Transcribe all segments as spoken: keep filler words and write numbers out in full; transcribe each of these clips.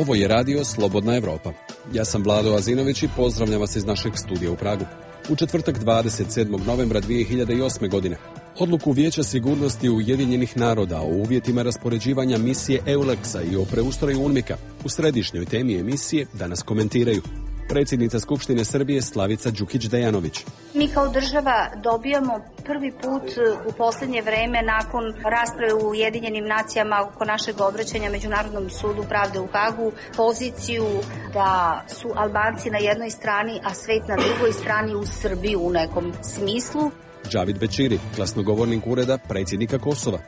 Ovo je radio Slobodna Evropa. Ja sam Vlado Azinović i pozdravljam vas iz našeg studija u Pragu. U četvrtak dvadeset sedmog novembra dvije hiljade osme. godine odluku Vijeća sigurnosti Ujedinjenih naroda o uvjetima raspoređivanja misije EULEX-a i o preustroju UNMIK-a u središnjoj temi emisije danas komentiraju predsjednica Skupštine Srbije Slavica Đukić-Dejanović. Mi kao država dobijamo prvi put u posljednje vreme nakon rasprave u Ujedinjenim nacijama oko našeg obraćanja Međunarodnom sudu pravde u Hagu poziciju da su Albanci na jednoj strani, a svet na drugoj strani uz Srbiju u nekom smislu. Džavid Bećiri, glasnogovornik ureda predsjednika Kosova.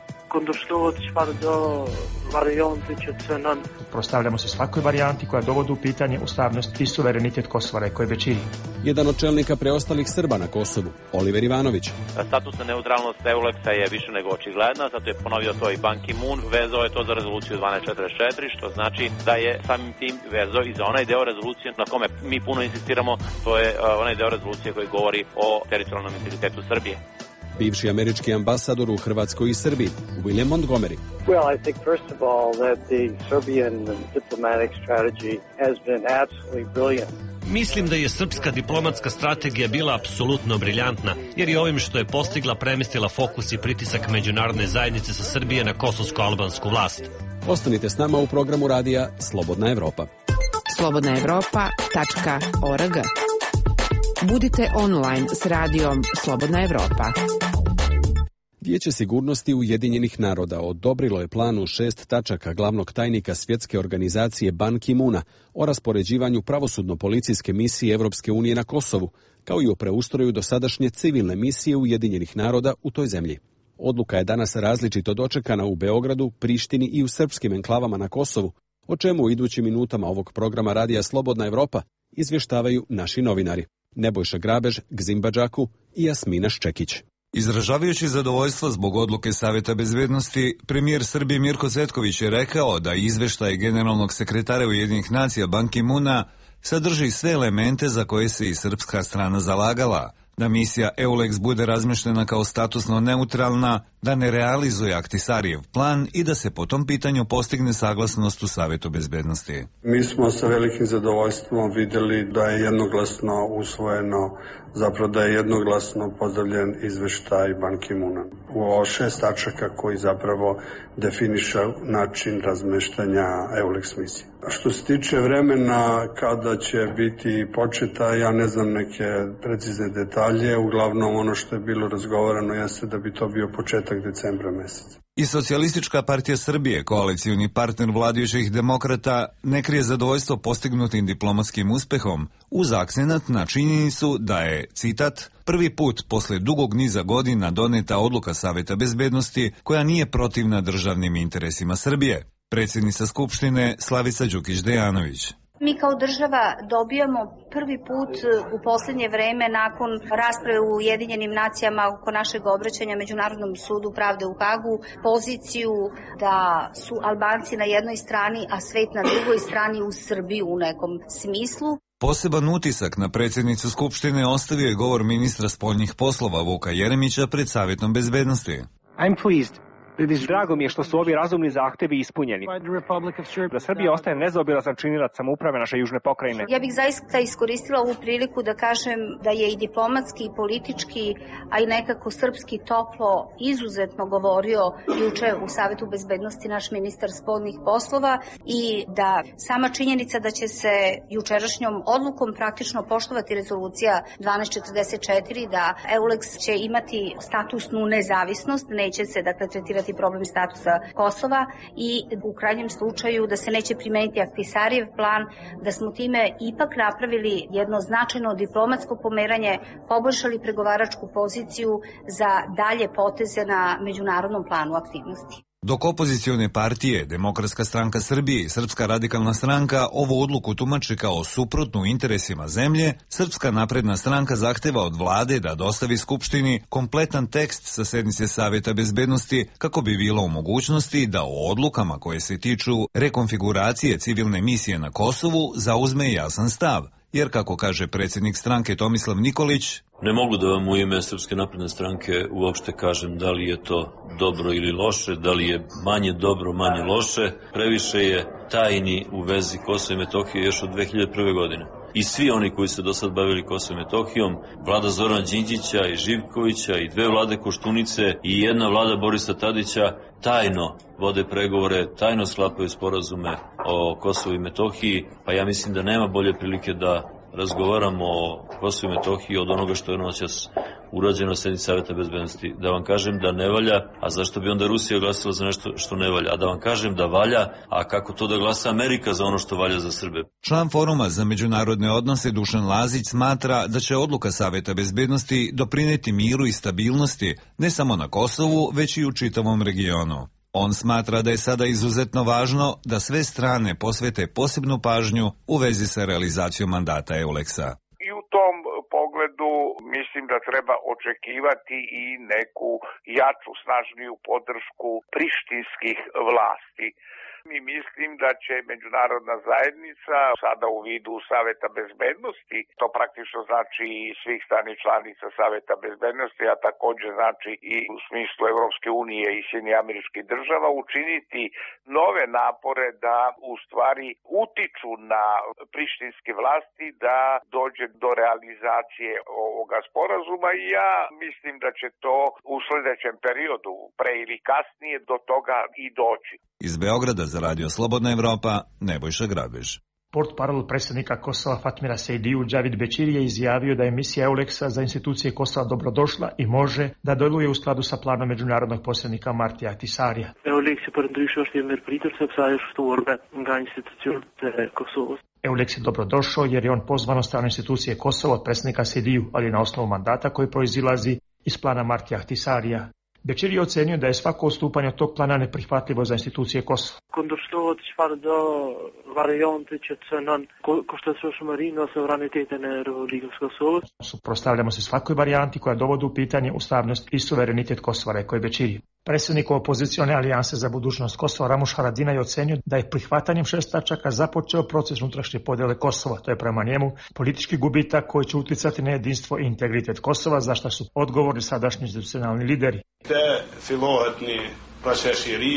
Prostavljamo se svakoj varijanti koja dovodi u pitanje ustavnost i suverenitet Kosova, rekao je Bećiri. Jedan od čelnika preostalih Srba na Kosovu, Oliver Ivanović. Statusna neutralnost EULEX-a je više nego očigledna, zato je ponovio to i Ban Ki-moon, vezao je to za rezoluciju dvanaest četrdeset četiri, što znači da je samim tim vezao i za onaj deo rezolucije na kome mi puno insistiramo, to je onaj deo rezolucije koji govori o teritorijalnom integritetu Srbije. Bivši američki ambasador u Hrvatskoj i Srbiji, William Montgomery. Well, I think first of all that the Serbian diplomatic strategy has been absolutely brilliant. Mislim da je srpska diplomatska strategija bila apsolutno briljantna, jer je ovim što je postigla premestila fokus i pritisak međunarodne zajednice sa Srbije na kosovsko-albansku vlast. Ostanite s nama u programu radija Slobodna Evropa. slobodna evropa tačka org. Budite online s radijom Slobodna Evropa. Vijeće sigurnosti Ujedinjenih naroda odobrilo je plan u šest tačaka glavnog tajnika svjetske organizacije Ban Ki-moona o raspoređivanju pravosudno-policijske misije Evropske unije na Kosovu, kao i o preustroju dosadašnje civilne misije Ujedinjenih naroda u toj zemlji. Odluka je danas različito dočekana u Beogradu, Prištini i u srpskim enklavama na Kosovu, o čemu u idućim minutama ovog programa radija Slobodna Evropa izvještavaju naši novinari Nebojša Grabež, Gzimba Džaku i Jasmina Ščekić. Izražavajući zadovoljstvo zbog odluke Saveta bezbednosti, premijer Srbije Mirko Cvetković je rekao da izveštaj generalnog sekretara Ujedinjenih nacija Ban Ki-moona sadrži sve elemente za koje se i srpska strana zalagala, da misija EULEX bude razmještena kao statusno neutralna, da ne realizuje Ahtisarijev plan i da se po tom pitanju postigne saglasnost u Savetu bezbednosti. Mi smo sa velikim zadovoljstvom vidjeli da je jednoglasno usvojeno, zapravo da je jednoglasno pozdravljen izveštaj Ban Ki-moona u ovo šest tačaka koji zapravo definiše način razmeštanja EULEX misije. Što se tiče vremena kada će biti početa, ja ne znam neke precizne detalje, uglavnom ono što je bilo razgovarano jeste da bi to bio početak decembra meseca. I Socijalistička partija Srbije, koalicioni partner vladajućih demokrata, ne krije zadovoljstvo postignutim diplomatskim uspehom, uz akcenat na činjenicu da je, citat, prvi put posle dugog niza godina doneta odluka Saveta bezbednosti koja nije protivna državnim interesima Srbije. Predsjednica Skupštine Slavica Đukić-Dejanović. Mi kao država dobijamo prvi put u posljednje vreme nakon rasprave u Ujedinjenim nacijama oko našeg obraćanja Međunarodnom sudu pravde u Hagu poziciju da su Albanci na jednoj strani, a svet na drugoj strani uz Srbiju u nekom smislu. Poseban utisak na predsjednicu Skupštine ostavio je govor ministra spoljnih poslova Vuka Jeremića pred Savjetom bezbednosti. I'm pleased. Drago mi je što su ovi razumni zahtevi ispunjeni. Da Srbija ostaje nezaobilazan činilac samouprave naše južne pokrajine. Ja bih zaista iskoristila ovu priliku da kažem da je i diplomatski i politički, a i nekako srpski toplo izuzetno govorio juče u Savetu bezbednosti naš ministar spoljnih poslova i da sama činjenica da će se jučerašnjom odlukom praktično poštovati rezolucija dvanaest četrdeset četiri, da EULEX će imati statusnu nezavisnost, neće se dakle tretirati problem statusa Kosova i u krajnjem slučaju da se neće primeniti Ahtisarijev plan, da smo time ipak napravili jedno značajno diplomatsko pomeranje, poboljšali pregovaračku poziciju za dalje poteze na međunarodnom planu aktivnosti. Dok opozicione partije, Demokratska stranka Srbije i Srpska radikalna stranka ovu odluku tumače kao suprotnu interesima zemlje, Srpska napredna stranka zahteva od vlade da dostavi Skupštini kompletan tekst sa sednice Saveta bezbednosti kako bi bilo u mogućnosti da o odlukama koje se tiču rekonfiguracije civilne misije na Kosovu zauzme jasan stav jer kako kaže predsjednik stranke Tomislav Nikolić, ne mogu da vam u ime Srpske napredne stranke uopšte kažem da li je to dobro ili loše, da li je manje dobro, manje loše. Previše je tajni u vezi Kosova i Metohije još od dve hiljade prve. godine. I svi oni koji se do sad bavili Kosovom i Metohijom, vlada Zorana Đinđića i Živkovića i dve vlade Koštunice i jedna vlada Borisa Tadića tajno vode pregovore, tajno sklapaju sporazume o Kosovu i Metohiji, pa ja mislim da nema bolje prilike da razgovaramo o Kosovu i Metohiji od onoga što je noćas urađeno na sednici Saveta bezbednosti. Da vam kažem da ne valja, a zašto bi onda Rusija glasala za nešto što ne valja? A da vam kažem da valja, a kako to da glasa Amerika za ono što valja za Srbe? Član Foruma za međunarodne odnose Dušan Lazić smatra da će odluka Saveta bezbednosti doprineti miru i stabilnosti ne samo na Kosovu, već i u čitavom regionu. On smatra da je sada izuzetno važno da sve strane posvete posebnu pažnju u vezi sa realizacijom mandata Euleksa. I u tom pogledu mislim da treba očekivati i neku jaču, snažniju podršku prištinskih vlasti. I mislim da će međunarodna zajednica sada u vidu Saveta bezbednosti, to praktično znači i svih stranih članica Saveta bezbednosti, a također znači i u smislu Evropske unije i Sjedinjenih Američkih Država, učiniti nove napore da u stvari utiču na prištinske vlasti da dođe do realizacije ovoga sporazuma i ja mislim da će to u sljedećem periodu, pre ili kasnije, do toga i doći. Iz Beograda za Radio Slobodna Evropa, Nebojša Grabež. Portparol predsjednika Kosova Fatmira Sejdiju Džavid Bećiri je izjavio da je misija Euleksa za institucije Kosova dobrodošla i može da deluje u skladu sa planom međunarodnog posrednika Martija Ahtisarija. Euleks je përndryshe je merpritur sepse ajo është ftuar nga institucionet e Kosovës. Euleks je dobrodošao jer je on pozvan od strane institucije Kosova od predsjednika Sejdiju, ali na osnovu mandata koji proizilazi iz plana Martija Ahtisarija. Bećiri je ocenio da je svako odstupanje od tog plana neprihvatljivo za institucije Kosova. Kundërshtohet çfarëdo variante që cënon kushtetueshmërinë ose suverenitetin e Republikës Kosovës. Suprotstavljamo se svakoj varijanti koja dovodi u pitanje ustavnost i suverenitet Kosova, rekao je Bećiri. Predsjednik opozicione alijanse za budućnost Kosova Ramuš Haradina je ocenio da je prihvatanjem šest tačaka započeo proces unutrašnje podjele Kosova. To je prema njemu politički gubitak koji će uticati na jedinstvo i integritet Kosova, za što su odgovorni sadašnji institucionalni lideri. Te fillohet një proces i ri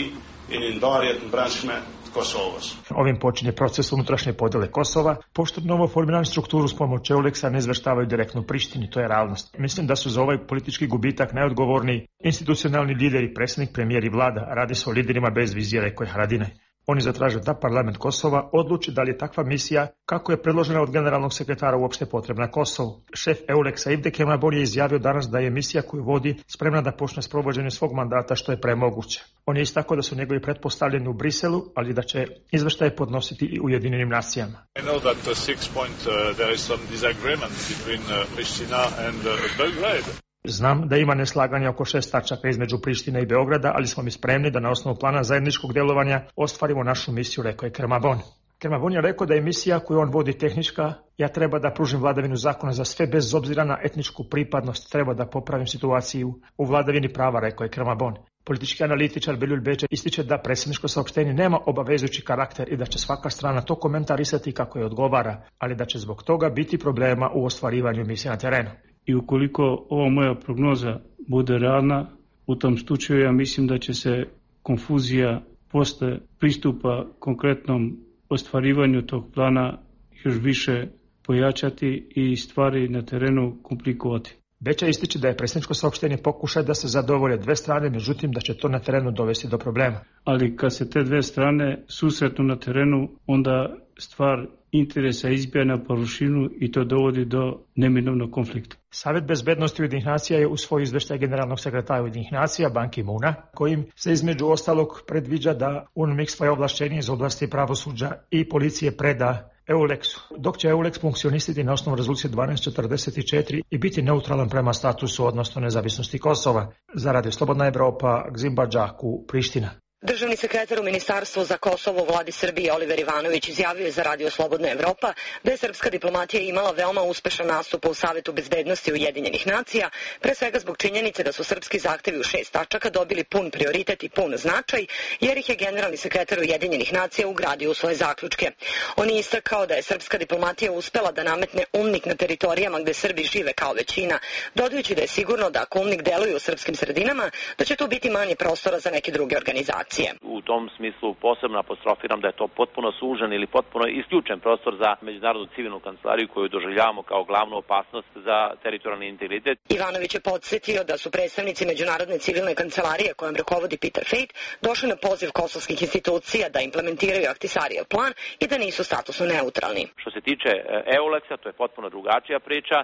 i një ndarje të brendshme të Kosovës. Ovim počinje proces unutrašnje podjele Kosova, pošto novo formiranu strukturu s pomoću Euleksa ne izveštavaju direktno Prištini, to je realnost. Mislim da su za ovaj politički gubitak najodgovorniji institucionalni lideri, predsjednik, premijer i vlada. Radi se o liderima bez vizije, rekao je Haradinaj. Oni zatraže da parlament Kosova odluči da li je takva misija, kako je predložena od generalnog sekretara, uopšte potrebna Kosovu. Šef Euleksa Ivde Kemabor je izjavio danas da je misija koju vodi spremna da počne s provođenjem svog mandata što je premoguće. On je istakao da su njegovi pretpostavljeni u Briselu, ali da će izveštaje podnositi i Ujedinjenim nacijama. I know that uh, six point uh, there is some disagreement between uh, Pristina and uh, Belgrade. Znam da ima neslaganja oko šest tačaka između Prištine i Beograda, ali smo mi spremni da na osnovu plana zajedničkog djelovanja ostvarimo našu misiju, rekao je Kermabon. Kermabon je rekao da je misija koju on vodi tehnička, ja treba da pružim vladavinu zakona za sve bez obzira na etničku pripadnost, treba da popravim situaciju u vladavini prava, rekao je Kermabon. Politički analitičar Beljul Beče ističe da predsjedničko saopštenje nema obavezujući karakter i da će svaka strana to komentarisati kako je odgovara, ali da će zbog toga biti problema u ostvarivanju misije na terenu. I ukoliko ova moja prognoza bude realna, u tom slučaju ja mislim da će se konfuzija posle pristupa konkretnom ostvarivanju tog plana još više pojačati i stvari na terenu komplikovati. Beća ističe da je predsjedničko saopštenje pokušaj da se zadovolje dve strane, međutim da će to na terenu dovesti do problema. Ali kad se te dve strane susretnu na terenu, onda stvar interesa izbija na površinu i to dovodi do neminovnog konflikta. Savet bezbednosti Ujedinjenih nacija je usvojio izveštaj generalnog sekretara Ujedinjenih nacija Ban Ki-moona, kojim se između ostalog predviđa da UNMIK svoje ovlašćenje iz oblasti pravosuđa i policije preda Euleksu, dok će Euleks funkcionisati na osnovu rezolucije dvanaest četrdeset četiri i biti neutralan prema statusu odnosno nezavisnosti Kosova. Za Radio Slobodna Evropa, Gzimba Džaku, Priština. Državni sekretar u Ministarstvu za Kosovo u vladi Srbije Oliver Ivanović izjavio je za Radio Slobodna Evropa da je srpska diplomatija imala veoma uspešan nastup u Savetu bezbednosti Ujedinjenih nacija, pre svega zbog činjenice da su srpski zahtevi u šest tačaka dobili pun prioritet i pun značaj, jer ih je generalni sekretar Ujedinjenih nacija ugradio u svoje zaključke. On je istakao da je srpska diplomatija uspela da nametne UMNIK na teritorijama gde Srbi žive kao većina, dodajući da je sigurno da ako UMNIK deluje u srpskim sredinama, da će tu biti manje prostora za neke druge organizacije. U tom smislu posebno apostrofiram da je to potpuno sužen ili potpuno isključen prostor za međunarodnu civilnu kancelariju koju doživljavamo kao glavnu opasnost za teritorijalni integritet. Ivanović je podsjetio da su predstavnici međunarodne civilne kancelarije kojom rukovodi Peter Fejt došli na poziv kosovskih institucija da implementiraju Ahtisarijev plan i da nisu statusno neutralni. Što se tiče EULEX-a, to je potpuno drugačija priča.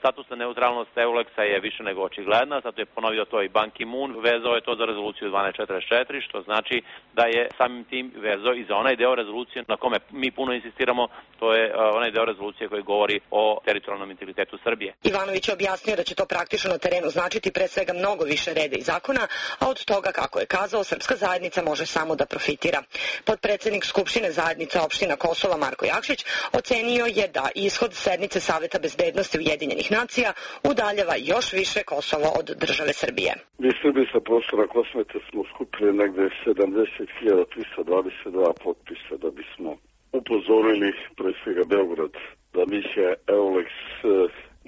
Statusna neutralnost EULEX-a je više nego očigledna, zato je ponovio to i Ban Ki-moon, vezao je to za rezoluciju dvanaest četrdeset četiri, što znači da je samim tim vezao i za onaj deo rezolucije na kome mi puno insistiramo, to je onaj deo rezolucije koji govori o teritorijalnom integritetu Srbije. Ivanović je objasnio da će to praktično na terenu značiti pre svega mnogo više reda i zakona, a od toga, kako je kazao, srpska zajednica može samo da profitira. Potpredsednik Skupštine zajednice opština Kosova Marko Jakšić ocenio je da ishod sednice Saveta bezbednosti Ujedinjenih nacija udaljava još više Kosovo od države Srbije. Mi Srbi sa prostora Kosmeta smo skupili negde sedamdeset hiljada trista dvadeset dva potpisa da bismo upozorili pre svega Beograd da misija EULEX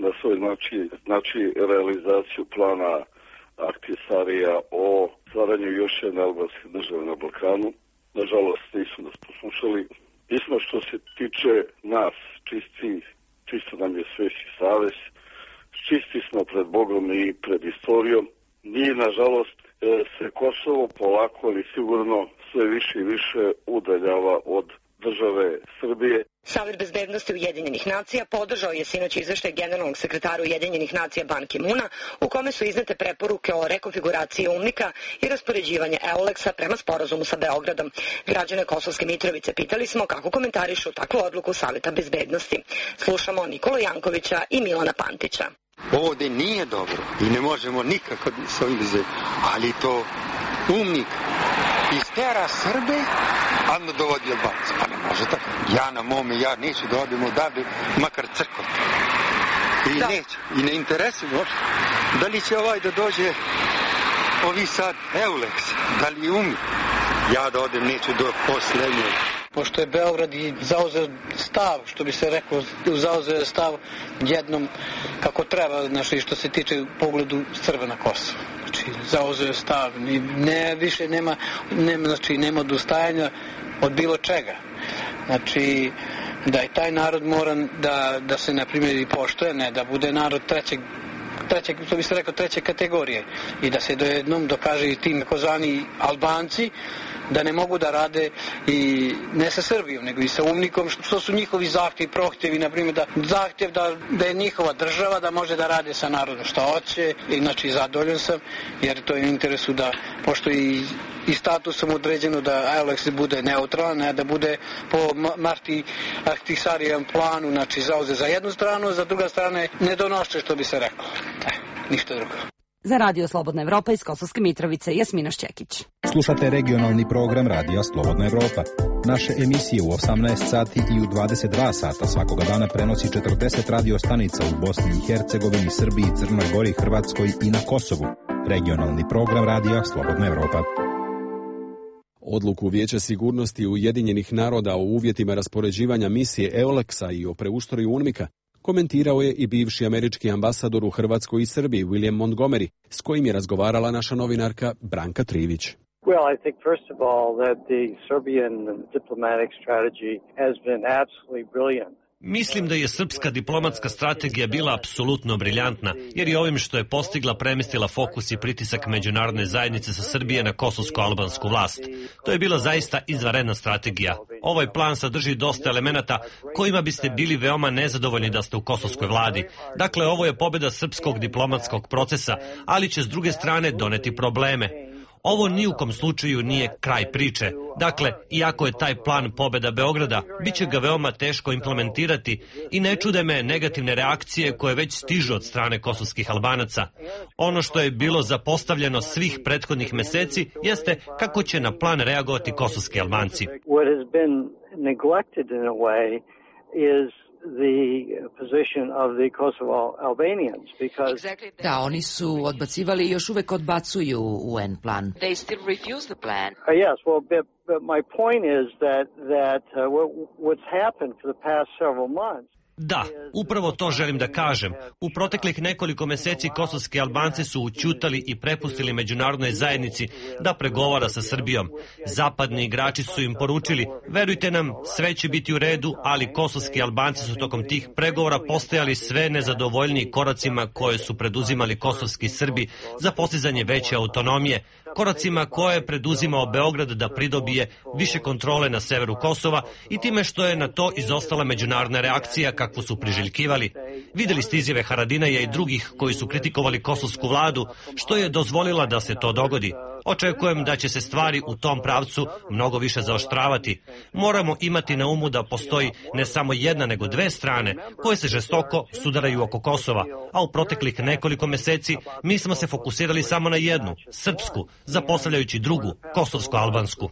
na svoj znači, znači realizaciju plana Ahtisarija o stvaranju još jedne albanske države na Balkanu. Nažalost nisu nas poslušali. Mi smo što se tiče nas čisti, čisto nam je svešći savez, čisti smo pred Bogom i pred istorijom. Nije, nažalost, se Kosovo polako ali sigurno sve više i više udaljava od države Srbije. Savet bezbednosti Ujedinjenih nacija podržao je sinoć izveštaj generalnog sekretara Ujedinjenih nacija Ban Ki-moona, u kome su iznete preporuke o rekonfiguraciji UMNIK-a i raspoređivanje EULEX-a prema sporazumu sa Beogradom. Građane Kosovske Mitrovice pitali smo kako komentarišu takvu odluku Saveta bezbednosti. Slušamo Nikolu Jankovića i Milana Pantića. Ovde nije dobro i ne možemo nikako s ovim zeti, ali to UMNIK istera Srbe, a ne dovodi Albance. Pa ne može tako. Ja na mome, ja neću da odem odavde, makar crkvom. I da. Neće. I ne interesuje uopšte. Da li će ovaj da dođe, ovi sad EULEX, da li UMNIK? Ja da odem neću do poslednje. Pošto je Beograd i zauzeo stav, što bi se rekao, zauzeo stav jednom kako treba, znači što se tiče pogledu Srba na Kosovo. Znači, zauzeo stav, ne, više nema, nema, znači, nema odustajanja od bilo čega. Znači, da i taj narod mora da, da se, na primjer, i poštuje, ne da bude narod trećeg treće, to bi se rekao, treće kategorije i da se dojednom dokaže i tim takozvani Albanci da ne mogu da rade i ne sa Srbijom, nego i sa UMNIK-om, što su njihovi zahtjevi, prohtjevi, na primjer da zahtjev da, da je njihova država, da može da rade sa narodom što hoće, i znači zadovoljan sam, jer to je u interesu da, pošto i, i statusom određeno da EULEX bude neutralan, ne da bude po Marti Ahtisarijevom planu, znači zauze za jednu stranu, za druga strane ne donošće, što bi se reklo. Ne, ništa drugo. Za Radio Slobodna Evropa iz Kosovske Mitrovice, Jasmina Šćekić. Slušate regionalni program Radija Slobodna Evropa. Naše emisije u osamnaest sati i u dvadeset dva sata svakoga dana prenosi četrdeset radio stanica u Bosni i Hercegovini, Srbiji, Crnoj Gori, Hrvatskoj i na Kosovu. Regionalni program Radija Slobodna Evropa. Odluku Vijeća sigurnosti Ujedinjenih naroda o uvjetima raspoređivanja misije EULEX-a i o preustroju UNMIK-a komentirao je i bivši američki ambasador u Hrvatskoj i Srbiji William Montgomery, s kojim je razgovarala naša novinarka Branka Trivić. Well, I think first of all that the Serbian diplomatic strategy has been absolutely brilliant. Mislim da je srpska diplomatska strategija bila apsolutno briljantna, jer je ovim što je postigla premestila fokus i pritisak međunarodne zajednice sa Srbije na kosovsko-albansku vlast. To je bila zaista izvanredna strategija. Ovaj plan sadrži dosta elemenata kojima biste bili veoma nezadovoljni da ste u kosovskoj vladi. Dakle, ovo je pobjeda srpskog diplomatskog procesa, ali će s druge strane doneti probleme. Ovo ni u kom slučaju nije kraj priče. Dakle, iako je taj plan pobeda Beograda, bit će ga veoma teško implementirati i ne čude me negativne reakcije koje već stižu od strane kosovskih Albanaca. Ono što je bilo zapostavljeno svih prethodnih meseci jeste kako će na plan reagovati kosovski Albanci. The position of the Kosovo Albanians because da, oni su odbacivali i još uvek odbacuju U N plan. They still refuse the plan. Uh, yes, well, but, but my point is that that uh, what, what's happened for the past several months. Da, upravo to želim da kažem. U proteklih nekoliko meseci kosovski Albanci su ućutali i prepustili međunarodnoj zajednici da pregovara sa Srbijom. Zapadni igrači su im poručili, verujte nam, sve će biti u redu, ali kosovski Albanci su tokom tih pregovora postajali sve nezadovoljniji koracima koje su preduzimali kosovski Srbi za postizanje veće autonomije, koracima koje je preduzimao Beograd da pridobije više kontrole na severu Kosova i time što je na to izostala međunarodna reakcija kakvu su priželjkivali. Videli ste izjave Haradinaja i drugih koji su kritikovali kosovsku vladu, što je dozvolila da se to dogodi. Očekujem da će se stvari u tom pravcu mnogo više zaoštravati. Moramo imati na umu da postoji ne samo jedna nego dve strane koje se žestoko sudaraju oko Kosova, a u proteklih nekoliko meseci mi smo se fokusirali samo na jednu, srpsku, zapostavljajući drugu, kosovsko-albansku.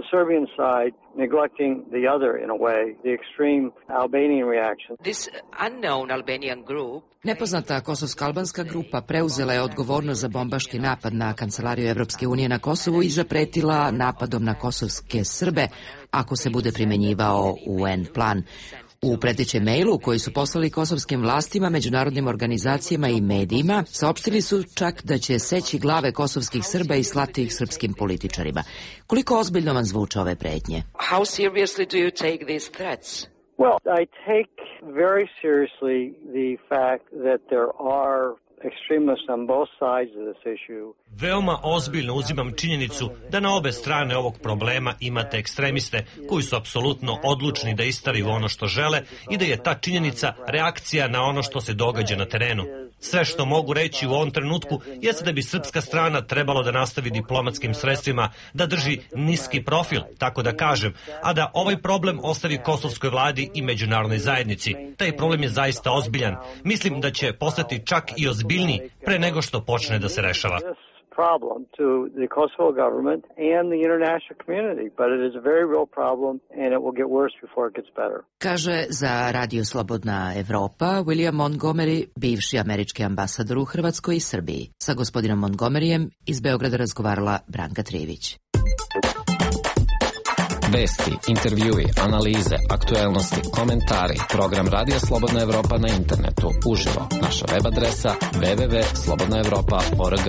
The Serbian side neglecting the other in a way, the extreme Albanian reaction. This unknown Albanian group Nepoznata kosovsko-albanska grupa preuzela je odgovornost za bombaški napad na Kancelariju Evropske unije na Kosovu i zapretila napadom na kosovske Srbe ako se bude primenjivao U N plan. U pretećem mailu koji su poslali kosovskim vlastima, međunarodnim organizacijama i medijima, saopštili su čak da će seći glave kosovskih Srba i slati ih srpskim političarima. Koliko ozbiljno vam zvuče ove pretnje? How seriously do you take these threats? Well, I take very seriously the fact that there are extremists on both sides of this issue. Veoma ozbiljno uzimam činjenicu da na obe strane ovog problema imate ekstremiste koji su apsolutno odlučni da istaraju ono što žele i da je ta činjenica reakcija na ono što se događa na terenu. Sve što mogu reći u ovom trenutku jeste da bi srpska strana trebalo da nastavi diplomatskim sredstvima, da drži niski profil, tako da kažem, a da ovaj problem ostavi kosovskoj vladi i međunarodnoj zajednici. Taj problem je zaista ozbiljan. Mislim da će postati čak i ozbiljniji pre nego što počne da se rešava. Problem to the Kosovo government and the international community, but it is a very real problem and it will get worse before it gets better. Kaže za Radio Slobodna Evropa William Montgomery, bivši američki ambasador u Hrvatskoj i Srbiji. Sa gospodinom Montgomeryjem iz Beograda razgovarala Branka Trivić. Vesti, intervjui, analize, aktuelnosti, komentari, program Radio Slobodna Evropa na internetu, uživo, naša web adresa w w w tačka slobodna evropa tačka org.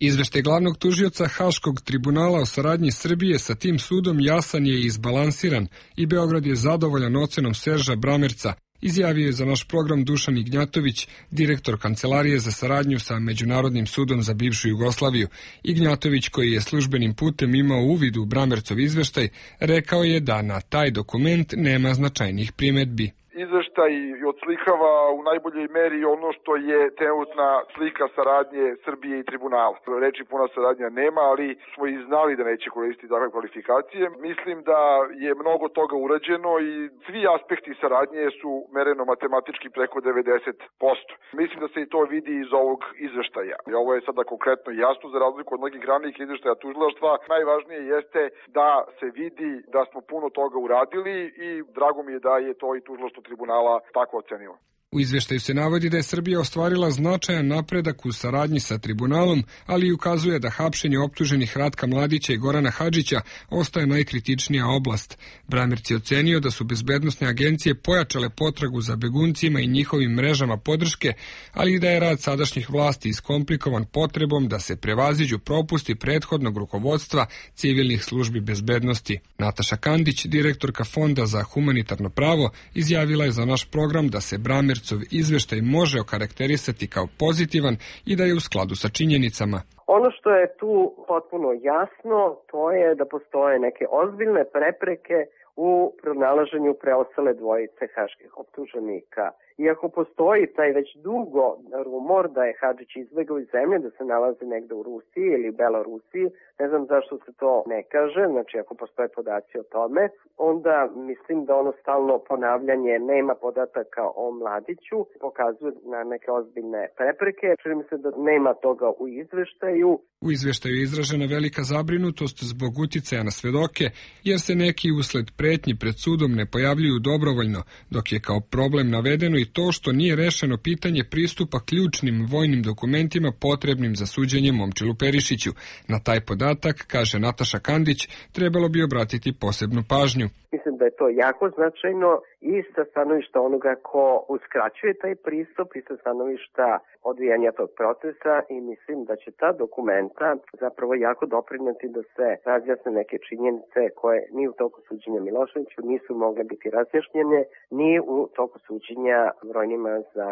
Izveštaj glavnog tužioca Haškog tribunala o saradnji Srbije sa tim sudom jasan je i izbalansiran i Beograd je zadovoljan ocenom Serža Bramerca, izjavio je za naš program Dušan Ignjatović, direktor Kancelarije za saradnju sa Međunarodnim sudom za bivšu Jugoslaviju. Ignjatović, koji je službenim putem imao uvid u Bramercov izveštaj, rekao je da na taj dokument nema značajnih primedbi. Izveštaj odslikava u najboljoj meri ono što je trenutna slika saradnje Srbije i tribunala. Reči puna saradnja nema, ali smo i znali da neće koristiti takve kvalifikacije. Mislim da je mnogo toga urađeno i svi aspekti saradnje su mereno matematički preko devedeset posto. Mislim da se i to vidi iz ovog izveštaja. I ovo je sada konkretno jasno za razliku od mnogih ranijih izveštaja tužilaštva. Najvažnije jeste da se vidi da smo puno toga uradili i drago mi je da je to i tužilaštvo tribunala tako ocenilo. U izveštaju se navodi da je Srbija ostvarila značajan napredak u saradnji sa tribunalom, ali i ukazuje da hapšenje optuženih Ratka Mladića i Gorana Hadžića ostaje najkritičnija oblast. Bramerc je ocenio da su bezbednosne agencije pojačale potragu za beguncima i njihovim mrežama podrške, ali i da je rad sadašnjih vlasti iskomplikovan potrebom da se prevaziđu propusti prethodnog rukovodstva civilnih službi bezbednosti. Nataša Kandić, direktorka Fonda za humanitarno pravo, izjavila je za naš program da se Bramerc izveštaj može okarakterisati kao pozitivan i da je u skladu sa činjenicama. Ono što je tu potpuno jasno, to je da postoje neke ozbiljne prepreke u pronalaženju preostale dvojice haških optuženika. Iako postoji taj već dugo rumor da je Hadžić izbegao iz zemlje, da se nalazi negde u Rusiji ili Belorusiji, ne znam zašto se to ne kaže, znači ako postoje podaci o tome, onda mislim da ono stalno ponavljanje nema podataka o Mladiću pokazuje na neke ozbiljne prepreke. Čini mi se da nema toga u izveštaju. U izveštaju je izražena velika zabrinutost zbog uticaja na svedoke, jer se neki usled pretnji pred sudom ne pojavljuju dobrovoljno, dok je kao problem navedeno i to što nije rešeno pitanje pristupa ključnim vojnim dokumentima potrebnim za suđenje Momčilu Perišiću. Na taj podatak, kaže Nataša Kandić, trebalo bi obratiti posebnu pažnju. Mislim da je to jako značajno i sa stanovišta onoga ko uskraćuje taj pristup i sa stanovišta odvijanja tog procesa i mislim da će ta dokumenta zapravo jako doprineti da se razjasne neke činjenice koje ni u toku suđenja Miloševiću nisu mogle biti razjašnjene, ni u toku suđenja brojnima za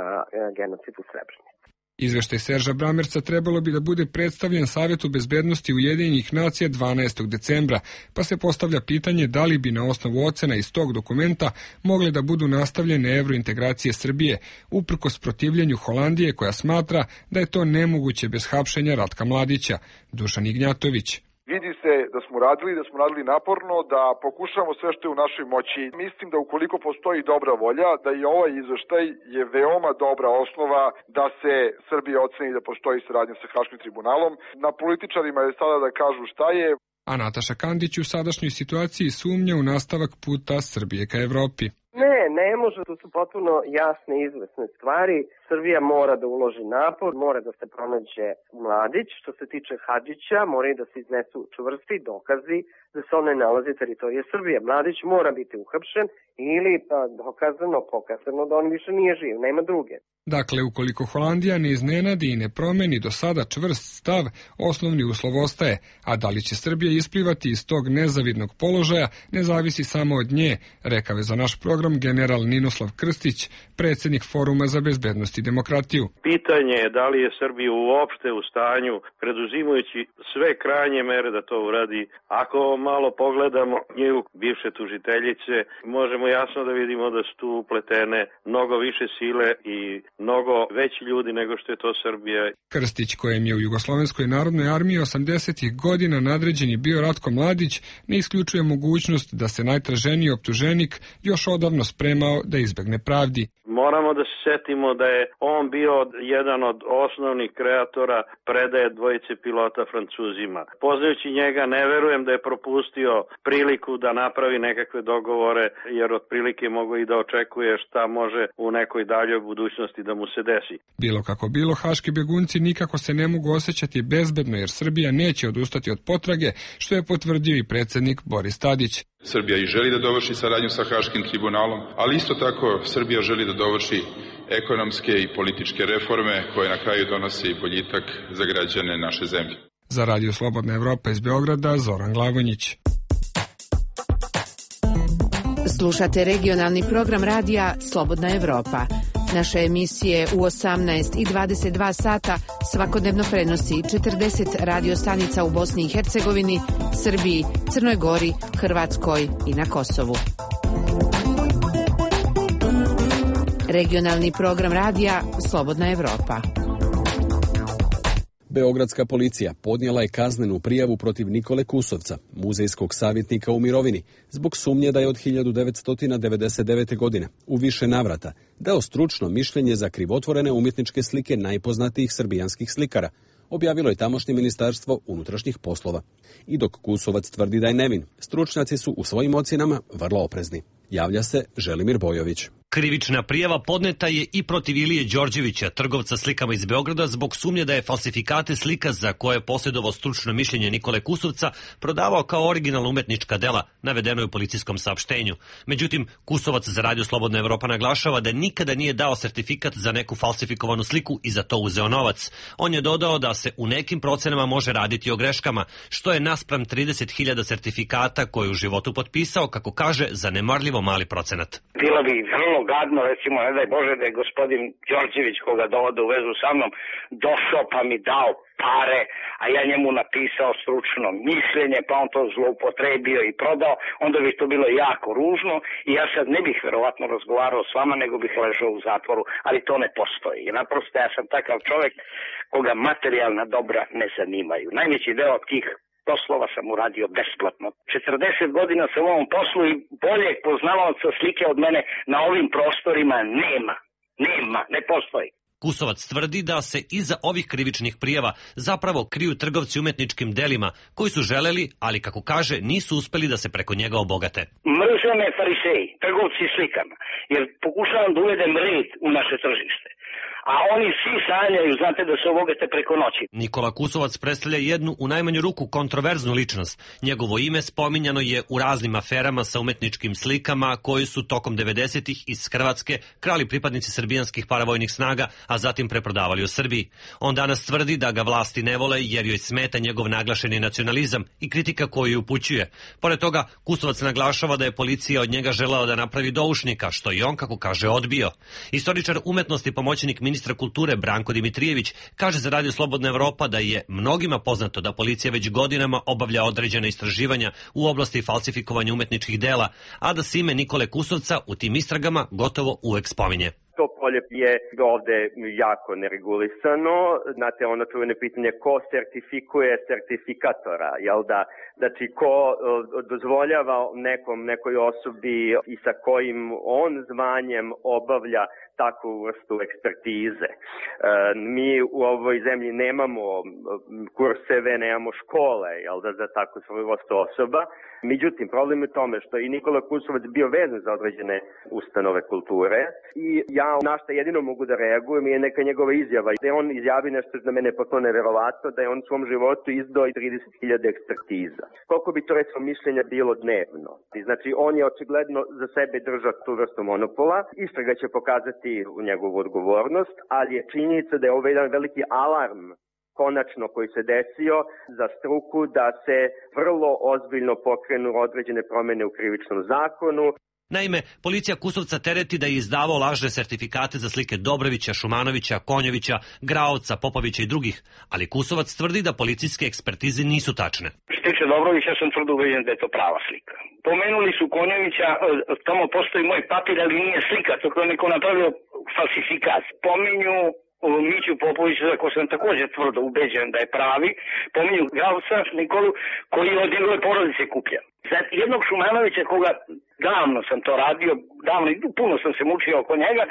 genocid u Srebrenici. Izveštaj Serža Bramerca trebalo bi da bude predstavljen Savetu bezbednosti Ujedinjenih nacija dvanaestog decembra, pa se postavlja pitanje da li bi na osnovu ocena iz tog dokumenta mogle da budu nastavljene evrointegracije Srbije, uprkos protivljenju Holandije koja smatra da je to nemoguće bez hapšenja Ratka Mladića. Dušan Ignjatović. Vidi se da smo radili, da smo radili naporno, da pokušamo sve što je u našoj moći. Mislim da ukoliko postoji dobra volja, da i ovaj izveštaj je veoma dobra osnova da se Srbija oceni da postoji saradnja sa Haškim tribunalom. Na političarima je sada da kažu šta je. A Nataša Kandić u sadašnjoj situaciji sumnja u nastavak puta Srbije ka Evropi. Ne, ne može, to su potpuno jasne i izvesne stvari. Srbija mora da uloži napor, mora da se pronađe Mladić. Što se tiče Hadžića, moraju da se iznesu čvrsti dokazi da se on ne nalazi teritorije Srbije. Mladić mora biti uhapšen ili pa, dokazano, pokazano da on više nije živ, nema druge. Dakle, ukoliko Holandija ne iznenadi i ne promeni do sada čvrst stav, osnovni uslov ostaje, a da li će Srbija isplivati iz tog nezavidnog položaja ne zavisi samo od nje, rekao je za naš program general Ninoslav Krstić, predsjednik Foruma za bezbednost i demokratiju. Pitanje je da li je Srbija uopšte u stanju, preduzimajući sve krajnje mere da to uradi. Ako malo pogledamo nju bivše tužiteljice, možemo jasno da vidimo da su tu upletene mnogo više sile i mnogo veći ljudi nego što je to Srbija. Krstić, kojem je u Jugoslovenskoj narodnoj armiji osamdesetih godina nadređeni bio Ratko Mladić, ne isključuje mogućnost da se najtraženiji optuženik još odavno spremao da izbegne pravdi. Moramo da se setimo da je on bio jedan od osnovnih kreatora predaje dvojice pilota Francuzima. Poznajući njega, ne verujem da je propustio priliku da napravi nekakve dogovore, jer otprilike mogu i da očekuje šta može u nekoj daljoj budućnosti da mu se desi. Bilo kako bilo, haški begunci nikako se ne mogu osjećati bezbedno, jer Srbija neće odustati od potrage, što je potvrdio i predsjednik Boris Tadić. Srbija i želi da dovrši saradnju sa Haškim tribunalom, ali isto tako Srbija želi da dovrši ekonomske i političke reforme koje na kraju donose i boljitak za građane naše zemlje. Za Radio Slobodna Evropa iz Beograda, Zoran Glavonjić. Slušate regionalni program radija Slobodna Evropa. Naše emisije u osamnaest i dvadeset dva sata svakodnevno prenosi četrdeset radio stanica u Bosni i Hercegovini, Srbiji, Crnoj Gori, Hrvatskoj i na Kosovu. Regionalni program radija Slobodna Evropa. Beogradska policija podnijela je kaznenu prijavu protiv Nikole Kusovca, muzejskog savjetnika u mirovini, zbog sumnje da je od hiljadu devetsto devedeset devete. godine u više navrata dao stručno mišljenje za krivotvorene umjetničke slike najpoznatijih srbijanskih slikara, objavilo je tamošnje ministarstvo unutrašnjih poslova. I dok Kusovac tvrdi da je nevin, stručnjaci su u svojim ocjenama vrlo oprezni. Javlja se Želimir Bojović. Krivična prijava podneta je i protiv Ilije Đorđevića, trgovca slikama iz Beograda, zbog sumnje da je falsifikate slika za koje je posjedovao stručno mišljenje Nikole Kusovca prodavao kao originalna umetnička dela, navedeno je u policijskom saopštenju. Međutim, Kusovac za Radio Slobodna Evropa naglašava da nikada nije dao sertifikat za neku falsifikovanu sliku i za to uzeo novac. On je dodao da se u nekim procenama može raditi o greškama, što je naspram trideset hiljada sertifikata koje je u životu potpisao, kako kaže, zanemarljiva evo mali procenat. Bilo bi vrlo gadno, recimo, ne daj Bože da je gospodin Đorđević, koga dovode u vezu sa mnom, došao pa mi dao pare, a ja njemu napisao stručno mišljenje, pa on to zloupotrebio i prodao, onda bi to bilo jako ružno i ja sad ne bih verovatno razgovarao s vama, nego bih ležao u zatvoru, ali to ne postoji. I naprosto ja sam takav čovjek koga materijalna dobra ne zanimaju. Najveći deo tih poslova sam uradio besplatno. četrdeset godina sam u ovom poslu i boljeg poznavaoca slike od mene na ovim prostorima nema. Nema, ne postoji. Kusovac tvrdi da se iza ovih krivičnih prijava zapravo kriju trgovci umetničkim delima koji su želeli, ali kako kaže, nisu uspeli da se preko njega obogate. Mrze me fariseji, trgovci slikama, jer pokušavam da uvedem red u naše tržište. A oni svi sanjaju, znate, da se obogate preko noći. Nikola Kusovac predstavlja jednu u najmanju ruku kontroverznu ličnost. Njegovo ime spominjano je u raznim aferama sa umetničkim slikama koji su tokom devedesetih iz Hrvatske krali pripadnici srbijanskih paravojnih snaga, a zatim preprodavali u Srbiji. On danas tvrdi da ga vlasti ne vole jer joj smeta njegov naglašeni nacionalizam i kritika koju ju upućuje. Pored toga, Kusovac naglašava da je policija od njega želela da napravi doušnika, što i on, kako kaže, odbio. Istoričar umetnosti, pomoćnik ministra kulture Branko Dimitrijević kaže za Radio Slobodna Evropa da je mnogima poznato da policija već godinama obavlja određena istraživanja u oblasti falsifikovanja umetničkih dela, a da se ime Nikole Kusovca u tim istragama gotovo uvek spominje. To polje je ovde jako neregulisano. Znate, ono čuvene pitanje ko sertifikuje sertifikatora, jel da? Znači, ko dozvoljava nekom, nekoj osobi i sa kojim on zvanjem obavlja takvu vrstu ekspertize. E, mi u ovoj zemlji nemamo kurseve, nemamo škole, jel da, za takvu svoju vrstu osoba. Međutim, problem je u tome što i Nikola Kusovac bio vezan za određene ustanove kulture i ja na što jedino mogu da reagujem je neka njegova izjava. Da je on izjavi nešto za mene potpuno neverovatno, da je on u svom životu izdao i trideset hiljada ekspertiza. Koliko bi to recimo mišljenja bilo dnevno? Znači, on je očigledno za sebe držao tu vrstu monopola. Istraga će pokazati u njegovu odgovornost, ali je činjenica da je ovo jedan veliki alarm konačno koji se desio za struku da se vrlo ozbiljno pokrenu određene promene u krivičnom zakonu. Naime, policija Kusovca tereti da je izdavao lažne sertifikate za slike Dobrovića, Šumanovića, Konjovića, Graovca, Popovića i drugih, ali Kusovac tvrdi da policijske ekspertize nisu tačne. Što tiče Dobrovića, sam tvrdo ubeđen da je to prava slika. Pomenuli su Konjovića, tamo postoji moj papir, ali nije slika, to je neko napravio falsifikat. Pominju Miću Popovića, za ko sam također tvrdo ubeđen da je pravi, pominju Gravca Nikolu, koji je od njegove porodice kuplja. Za jednog Šumanovića, koga davno sam to radio, davno i puno sam se mučio oko njega,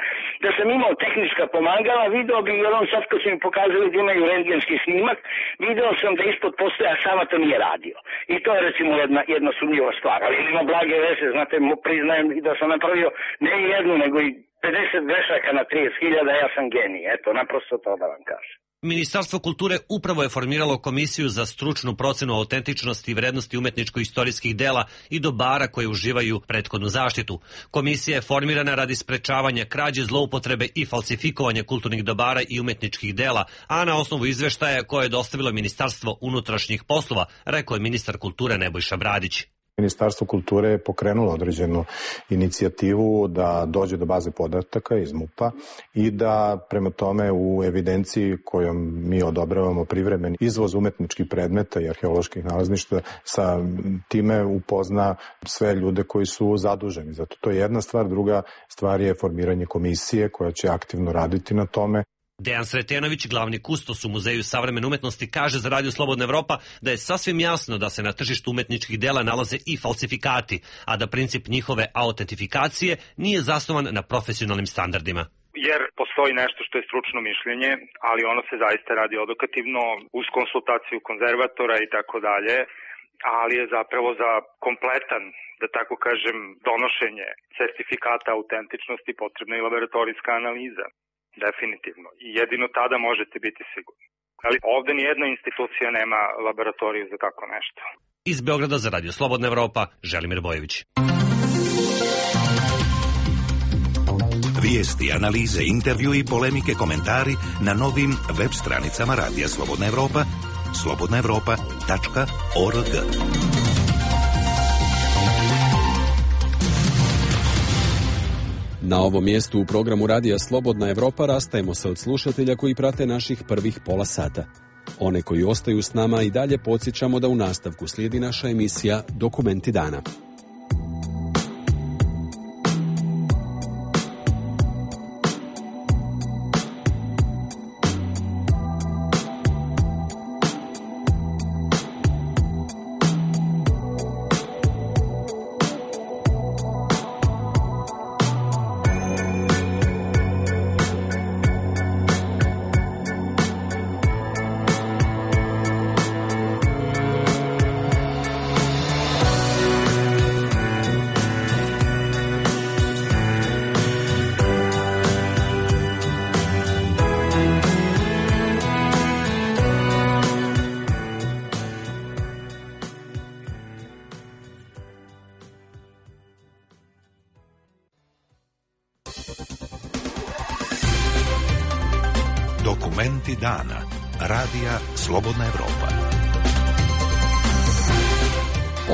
da sam imao tehnička pomagala, video bi, jer on sad kad su mi pokazali da imaju rentgenski snimak, video sam da ispod postoja, a sama to nije radio. I to je recimo jedna, jedna sumnjiva stvar, ali ima blage veze, znate, priznajem i da sam napravio ne jednu, nego i pedeset grešaka na trideset hiljada, ja sam genij, eto, naprosto to da vam kažem. Ministarstvo kulture upravo je formiralo komisiju za stručnu procenu autentičnosti i vrednosti umetničko-istorijskih dela i dobara koje uživaju prethodnu zaštitu. Komisija je formirana radi sprečavanja krađe, zloupotrebe i falsifikovanja kulturnih dobara i umetničkih dela, a na osnovu izveštaja koje je dostavilo Ministarstvo unutrašnjih poslova, rekao je ministar kulture Nebojša Bradić. Ministarstvo kulture je pokrenulo određenu inicijativu da dođe do baze podataka iz MUP-a i da prema tome u evidenciji kojom mi odobravamo privremeni izvoz umetničkih predmeta i arheoloških nalazništva sa time upozna sve ljude koji su zaduženi. Zato to je jedna stvar. Druga stvar je formiranje komisije koja će aktivno raditi na tome. Dejan Sretenović, glavni kustos u Muzeju savremene umetnosti, kaže za Radio Slobodna Evropa da je sasvim jasno da se na tržištu umetničkih dela nalaze i falsifikati, a da princip njihove autentifikacije nije zasnovan na profesionalnim standardima. Jer postoji nešto što je stručno mišljenje, ali ono se zaista radi odokativno uz konsultaciju konzervatora i tako dalje, ali je zapravo za kompletan, da tako kažem, donošenje sertifikata autentičnosti potrebna i laboratorijska analiza. Definitivno. I jedino tada možete biti sigurni. Ali ovde nijedna institucija nema laboratoriju za tako nešto. Iz Beograda za Radio Slobodna Evropa, Želimir Bojević. Vijesti, analize, intervju i polemike, komentari na novim web stranicama Radija Slobodna Evropa, slobodna evropa tačka org. Na ovom mjestu u programu Radija Slobodna Evropa rastajemo se od slušatelja koji prate naših prvih pola sata. One koji ostaju s nama i dalje podsjećamo da u nastavku slijedi naša emisija Dokumenti dana. Dokumenti dana. Radija Slobodna Evropa.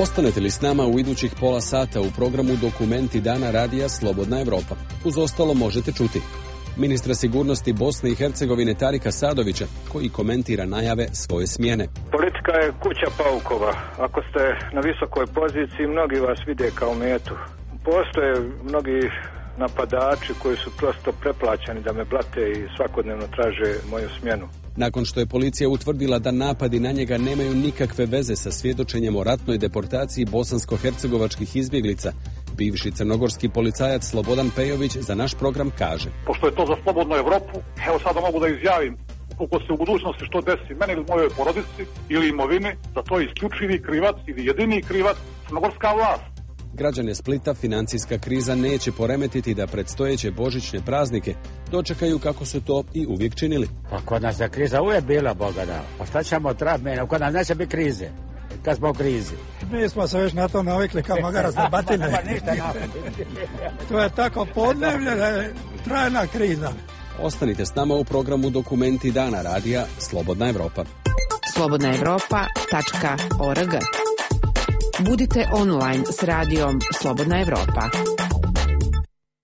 Ostanete li s nama u idućih pola sata u programu Dokumenti dana Radija Slobodna Evropa? Uz ostalo možete čuti ministra sigurnosti Bosne i Hercegovine Tarika Sadovića, koji komentira najave svoje smjene. Politika je kuća paukova. Ako ste na visokoj poziciji, mnogi vas vide kao metu. Postoje mnogi napadači koji su prosto preplaćeni da me blate i svakodnevno traže moju smjenu. Nakon što je policija utvrdila da napadi na njega nemaju nikakve veze sa svjedočenjem o ratnoj deportaciji bosansko-hercegovačkih izbjeglica, bivši crnogorski policajac Slobodan Pejović za naš program kaže: Pošto je to za Slobodnu Evropu, evo sada mogu da izjavim, ukoliko se u budućnosti što desi meni ili mojoj porodici ili imovini, za to je isključivi krivac ili jedini krivac crnogorska vlast. Građane Splita financijska kriza neće poremetiti da predstojeće božićne praznike dočekaju kako su to i uvijek činili. Pa kod nas je kriza uvijek bila, Boga da. Pa šta ćemo trati mene? Kod nas neće biti krize. Kad smo u krizi. Mi smo se već na to navikli kao magarac na batine. To je tako podnevlje da je trajna kriza. Ostanite s nama u programu Dokumenti dana Radija Slobodna Evropa. slobodna evropa tačka org. Budite online s radijom Slobodna Evropa.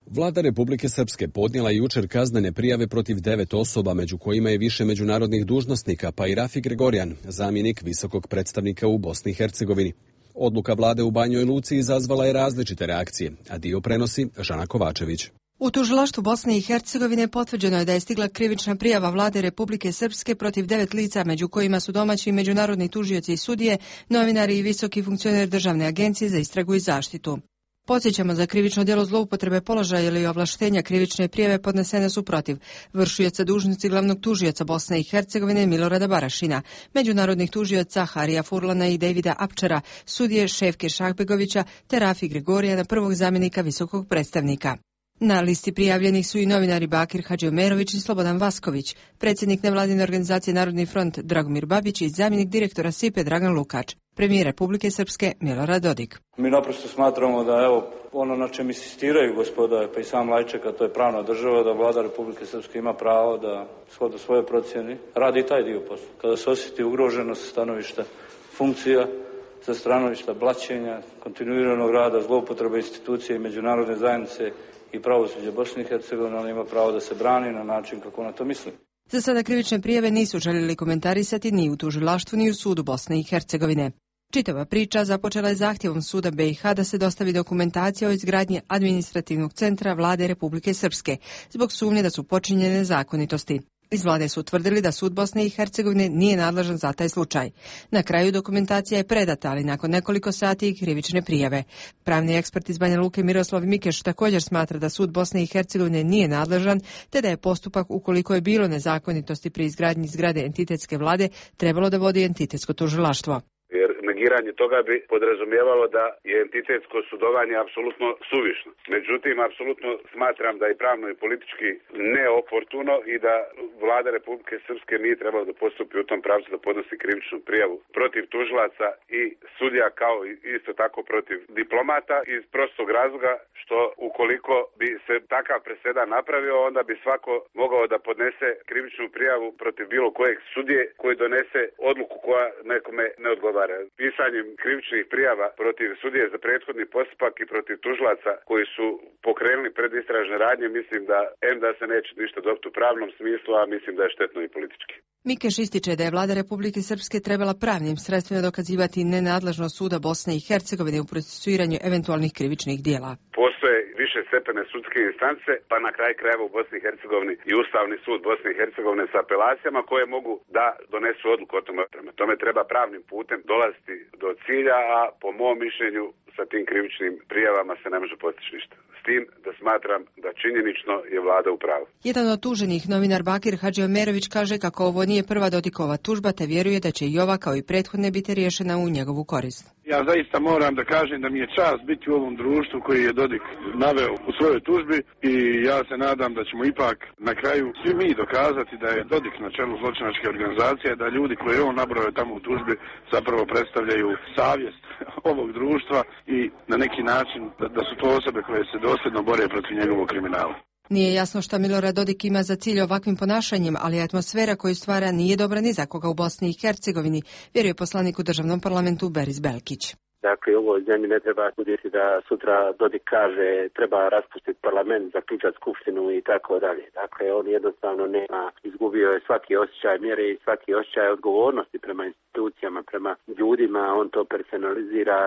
Vlada Republike Srpske podnijela jučer kaznene prijave protiv devet osoba, među kojima je više međunarodnih dužnosnika, pa i Rafi Gregorijan, zamjenik visokog predstavnika u Bosni i Hercegovini. Odluka vlade u Banjoj Luci izazvala je različite reakcije, a dio prenosi Žana Kovačević. U tužilaštvu Bosne i Hercegovine potvrđeno je da je stigla krivična prijava vlade Republike Srpske protiv devet lica, među kojima su domaći i međunarodni tužioci i sudije, novinari i visoki funkcioner Državne agencije za istragu i zaštitu. Podsjećamo, za krivično djelo zloupotrebe položaja ili ovlaštenja krivične prijave podnesene su protiv vršioca dužnosti glavnog tužioca Bosne i Hercegovine Milorada Barašina, međunarodnih tužioca Harija Furlana i Davida Apčera, sudije Šefke Šahbegovića te Rafi Gregorijana, prvog zamjenika visokog predstavnika. Na listi prijavljenih su i novinari Bakir Hadžiomerović i Slobodan Vasković, predsjednik nevladine organizacije Narodni front Dragomir Babić i zamjenik direktora S I P E Dragan Lukač, premijer Republike Srpske Milorad Dodik. Mi naprosto smatramo da evo ono na čem insistiraju gospoda, pa i sam Lajček, a to je pravna država, da vlada Republike Srpske ima pravo da shodno svoje procjeni radi i taj dio posla. Kada se osjeti ugroženost stanovišta funkcija, sa stanovišta blaćenja, kontinuiranog rada, zloupotreba institucije i međunarodne zajednice i pravosuđe Bosne i Hercegovine, ona ima pravo da se brani na način kako ona to misli. Za sada krivične prijave nisu željeli komentarisati ni u tužilaštvu ni u sudu Bosne i Hercegovine. Čitava priča započela je zahtjevom suda B i H da se dostavi dokumentacija o izgradnji administrativnog centra vlade Republike Srpske, zbog sumnje da su počinjene zakonitosti. Iz vlade su utvrdili da sud Bosne i Hercegovine nije nadležan za taj slučaj. Na kraju dokumentacija je predata, ali nakon nekoliko sati i krivične prijave. Pravni ekspert iz Banja Luke Miroslav Mikeš također smatra da sud Bosne i Hercegovine nije nadležan, te da je postupak, ukoliko je bilo nezakonitosti pri izgradnji zgrade entitetske vlade, trebalo da vodi entitetsko tužilaštvo. Negiranje toga bi podrazumijevalo da je entitetsko sudovanje apsolutno suvišno. Međutim, apsolutno smatram da je pravno i politički neoportuno i da vlada Republike Srpske nije trebala da postupi u tom pravcu da podnosi krivičnu prijavu protiv tužilaca i sudija, kao i isto tako protiv diplomata, iz prostog razloga što ukoliko bi se takav presedan napravio, onda bi svako mogao da podnese krivičnu prijavu protiv bilo kojeg sudije koji donese odluku koja nekome ne odgovara. pisanjem krivičnih prijava protiv sudije za prethodni postupak i protiv tužilaca koji su pokrenuli predistražne radnje, mislim da em da se neće ništa dobiti u pravnom smislu, a mislim da je štetno i politički. Mikeš ističe da je vlada Republike Srpske trebala pravnim sredstvima dokazivati nenadležnost suda Bosne i Hercegovine u procesuiranju eventualnih krivičnih dijela. Postoje više stepene sudske instance, pa na kraj krajeva u Bosni i Hercegovini i Ustavni sud Bosne i Hercegovine sa apelacijama koje mogu da donesu odluku o tome. Prema tome treba pravnim putem dolaziti do cilja, a po mom mišljenju sa tim krivičnim prijavama se ne može postići ništa. S tim da smatram da činjenično je vlada u pravu. Jedan od tuženih, novinar Bakir Hadžiomerović, kaže kako ovo nije prva Dodikova tužba, te vjeruje da će i ova kao i prethodne biti riješena u njegovu korist. Ja zaista moram da kažem da mi je čast biti u ovom društvu koji je Dodik naveo u svojoj tužbi i ja se nadam da ćemo ipak na kraju svi mi dokazati da je Dodik na čelu zločinačke organizacije, da ljudi koje je on nabrojao tamo u tužbi zapravo predstavljaju savjest ovog društva i na neki način da, da su to osobe koje se dosljedno bore protiv njegovog kriminala. Nije jasno šta Milorad Dodik ima za cilj ovakvim ponašanjem, ali atmosfera koju stvara nije dobra ni za koga u Bosni i Hercegovini, vjeruje poslanik u državnom parlamentu Beris Belkić. Dakle, u ovoj zemlji ne treba buditi da sutra Dodik kaže treba raspustiti parlament, zaključati skupštinu i tako dalje. Dakle, on jednostavno nema, izgubio je svaki osjećaj mjere i svaki osjećaj odgovornosti prema institucijama, prema ljudima, on to personalizira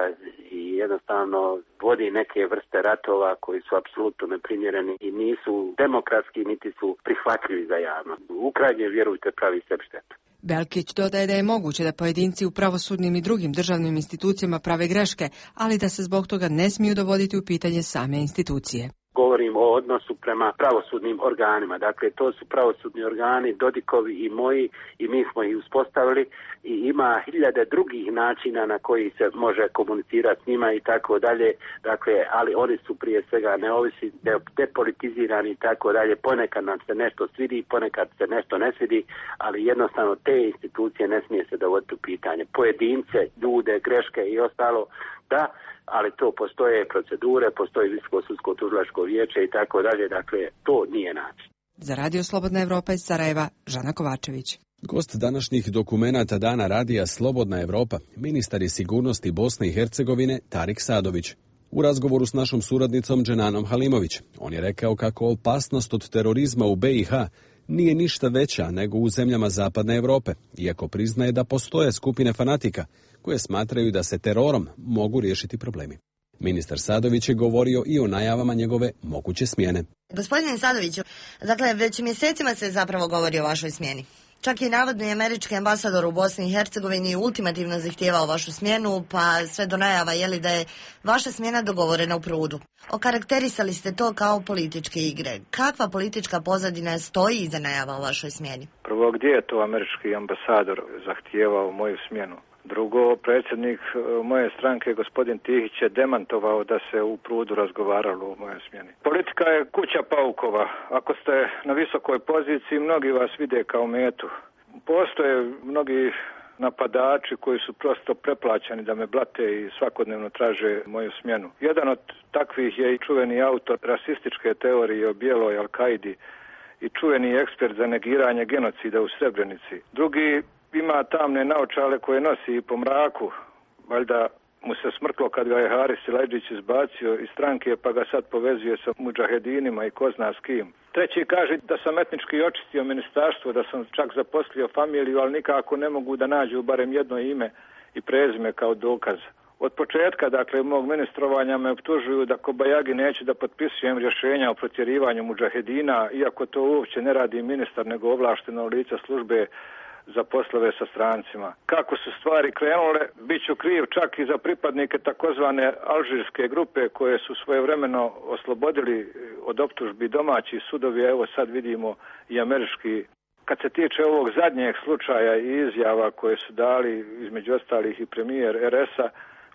i jednostavno vodi neke vrste ratova koji su apsolutno neprimjereni i nisu demokratski niti su prihvatljivi za javnost. U krajnje, vjerujte, pravi sebi štetu. Belkić dodaje da je moguće da pojedinci u pravosudnim i drugim državnim institucijama prave greške, ali da se zbog toga ne smiju dovoditi u pitanje same institucije. Govorim o odnosu prema pravosudnim organima. Dakle, to su pravosudni organi, Dodikovi i moji, i mi smo ih uspostavili i ima hiljade drugih načina na koji se može komunicirati s njima i tako dalje. Dakle, ali oni su prije svega neovisni, depolitizirani i tako dalje. Ponekad nam se nešto svidi, ponekad se nešto ne svidi, ali jednostavno te institucije ne smije se dovoditi u pitanje. Pojedince, ljude, greške i ostalo, da, ali to postoje procedure, postoji Visoko sudsko tužilačko vijeće i tako dalje, dakle to nije način. Za Radio Slobodna Evropa iz Sarajeva, Žana Kovačević. Gost današnjih dokumenata Dana radija Slobodna Evropa, ministar je sigurnosti Bosne i Hercegovine Tarik Sadović. U razgovoru s našom suradnicom Dženanom Halimović, on je rekao kako opasnost od terorizma u be i ha nije ništa veća nego u zemljama Zapadne Evrope, iako priznaje da postoje skupine fanatika koje smatraju da se terorom mogu riješiti problemi. Ministar Sadović je govorio i o najavama njegove moguće smjene. Gospodine Sadoviću, dakle, već mjesecima se zapravo govori o vašoj smjeni. Čak i navodni američki ambasador u Bosni i Hercegovini ultimativno zahtijevao vašu smjenu, pa sve do najava je li da je vaša smjena dogovorena u prudu. Okarakterisali ste to kao političke igre. Kakva politička pozadina stoji iza najava o vašoj smjeni? Prvo, gdje je to američki ambasador zahtijevao moju smjenu? Drugo, predsjednik moje stranke, gospodin Tihić, je demantovao da se u prudu razgovaralo o mojoj smjeni. Politika je kuća paukova. Ako ste na visokoj poziciji, mnogi vas vide kao metu. Postoje mnogi napadači koji su prosto preplaćeni da me blate i svakodnevno traže moju smjenu. Jedan od takvih je i čuveni autor rasističke teorije o bijeloj Al-Kaidi i čuveni ekspert za negiranje genocida u Srebrenici. Drugi ima tamne naočale koje nosi i po mraku, valjda mu se smrklo kad ga je Haris Silajdžić izbacio iz stranke, pa ga sad povezuje sa mudžahedinima i ko zna s kim. Treći kaže da sam etnički očistio ministarstvo, da sam čak zaposlio familiju, ali nikako ne mogu da nađu barem jedno ime i prezime kao dokaz. Od početka, dakle, mog ministrovanja me optužuju da kobajagi neću da potpisujem rješenja o protjerivanju mudžahedina, iako to uopće ne radi ministar, nego ovlašteno lice službe za poslove sa strancima. Kako su stvari krenule, bit ću kriv čak i za pripadnike takozvane alžirske grupe koje su svojevremeno oslobodili od optužbi domaći sudovi, evo sad vidimo i američki. Kad se tiče ovog zadnjeg slučaja i izjava koje su dali između ostalih i premijer er es a,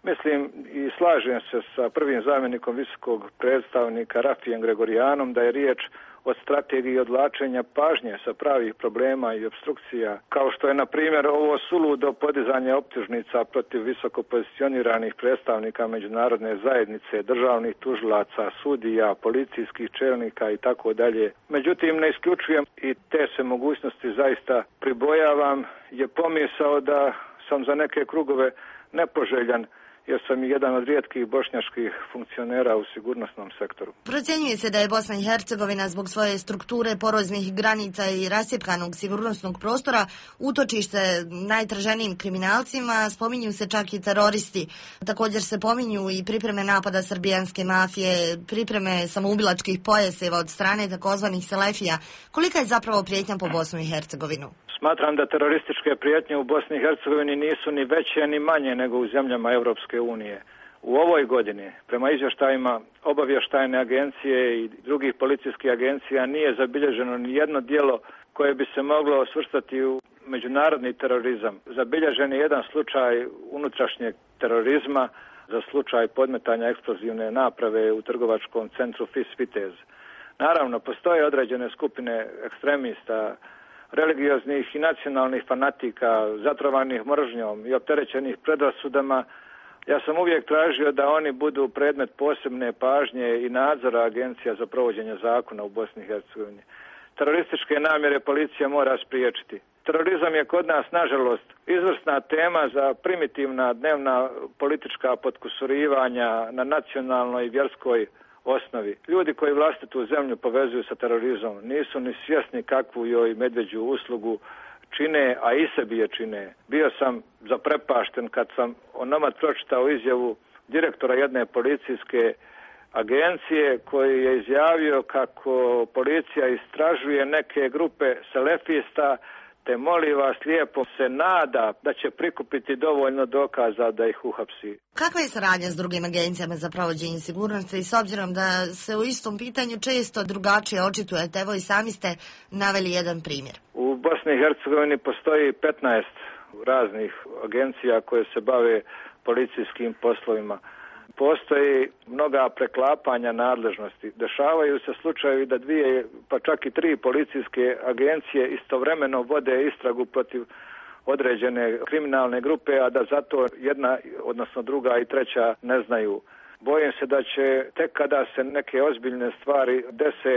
mislim i slažem se sa prvim zamjenikom visokog predstavnika Rafijem Gregorijanom da je riječ o strategiji odvlačenja pažnje sa pravih problema i obstrukcija, kao što je, na primjer, ovo suludo podizanje optužnica protiv visoko pozicioniranih predstavnika međunarodne zajednice, državnih tužilaca, sudija, policijskih čelnika i tako dalje. Međutim, ne isključujem i te se mogućnosti zaista pribojavam, je pomisao da sam za neke krugove nepoželjan, jer sam i jedan od rijetkih bošnjačkih funkcionera u sigurnosnom sektoru. Procjenjuje se da je Bosna i Hercegovina zbog svoje strukture, poroznih granica i rascjepkanog sigurnosnog prostora utočište najtraženijim kriminalcima, spominju se čak i teroristi. Također se pominju i pripreme napada srbijanske mafije, pripreme samoubilačkih pojaseva od strane takozvanih selefija. Kolika je zapravo prijetnja po Bosnu i Hercegovinu? Smatram da terorističke prijetnje u Bosni i Hercegovini nisu ni veće ni manje nego u zemljama Europske unije. U ovoj godini, prema izvještajima obavještajne agencije i drugih policijskih agencija, nije zabilježeno ni jedno djelo koje bi se moglo svrstati u međunarodni terorizam. Zabilježen je jedan slučaj unutrašnjeg terorizma za slučaj podmetanja eksplozivne naprave u trgovačkom centru Fis Vitez. Naravno, postoje određene skupine ekstremista, religioznih i nacionalnih fanatika, zatrovanih mržnjom i opterećenih predrasudama. Ja sam uvijek tražio da oni budu predmet posebne pažnje i nadzora agencija za provođenje zakona u Bosni i Hercegovini. Terorističke namjere policija mora spriječiti. Terorizam je kod nas, nažalost, izvrsna tema za primitivna dnevna politička potkusurivanja na nacionalnoj i vjerskoj osnovi. Ljudi koji vlastitu zemlju povezuju sa terorizmom nisu ni svjesni kakvu joj medveđu uslugu čine, a i sebi je čine. Bio sam zaprepašten kad sam onomad pročitao izjavu direktora jedne policijske agencije koji je izjavio kako policija istražuje neke grupe selefista, te molim vas lijepo se nada da će prikupiti dovoljno dokaza da ih uhapsi. Kakva je saradnja s drugim agencijama za provođenje sigurnosti, s obzirom da se u istom pitanju često drugačije očitujete? Evo i sami ste naveli jedan primjer. U Bosni i Hercegovini postoji petnaest raznih agencija koje se bave policijskim poslovima. Postoji mnoga preklapanja nadležnosti. Dešavaju se slučajevi da dvije, pa čak i tri policijske agencije istovremeno vode istragu protiv određene kriminalne grupe, a da zato jedna, odnosno druga i treća ne znaju. Bojim se da će tek kada se neke ozbiljne stvari dese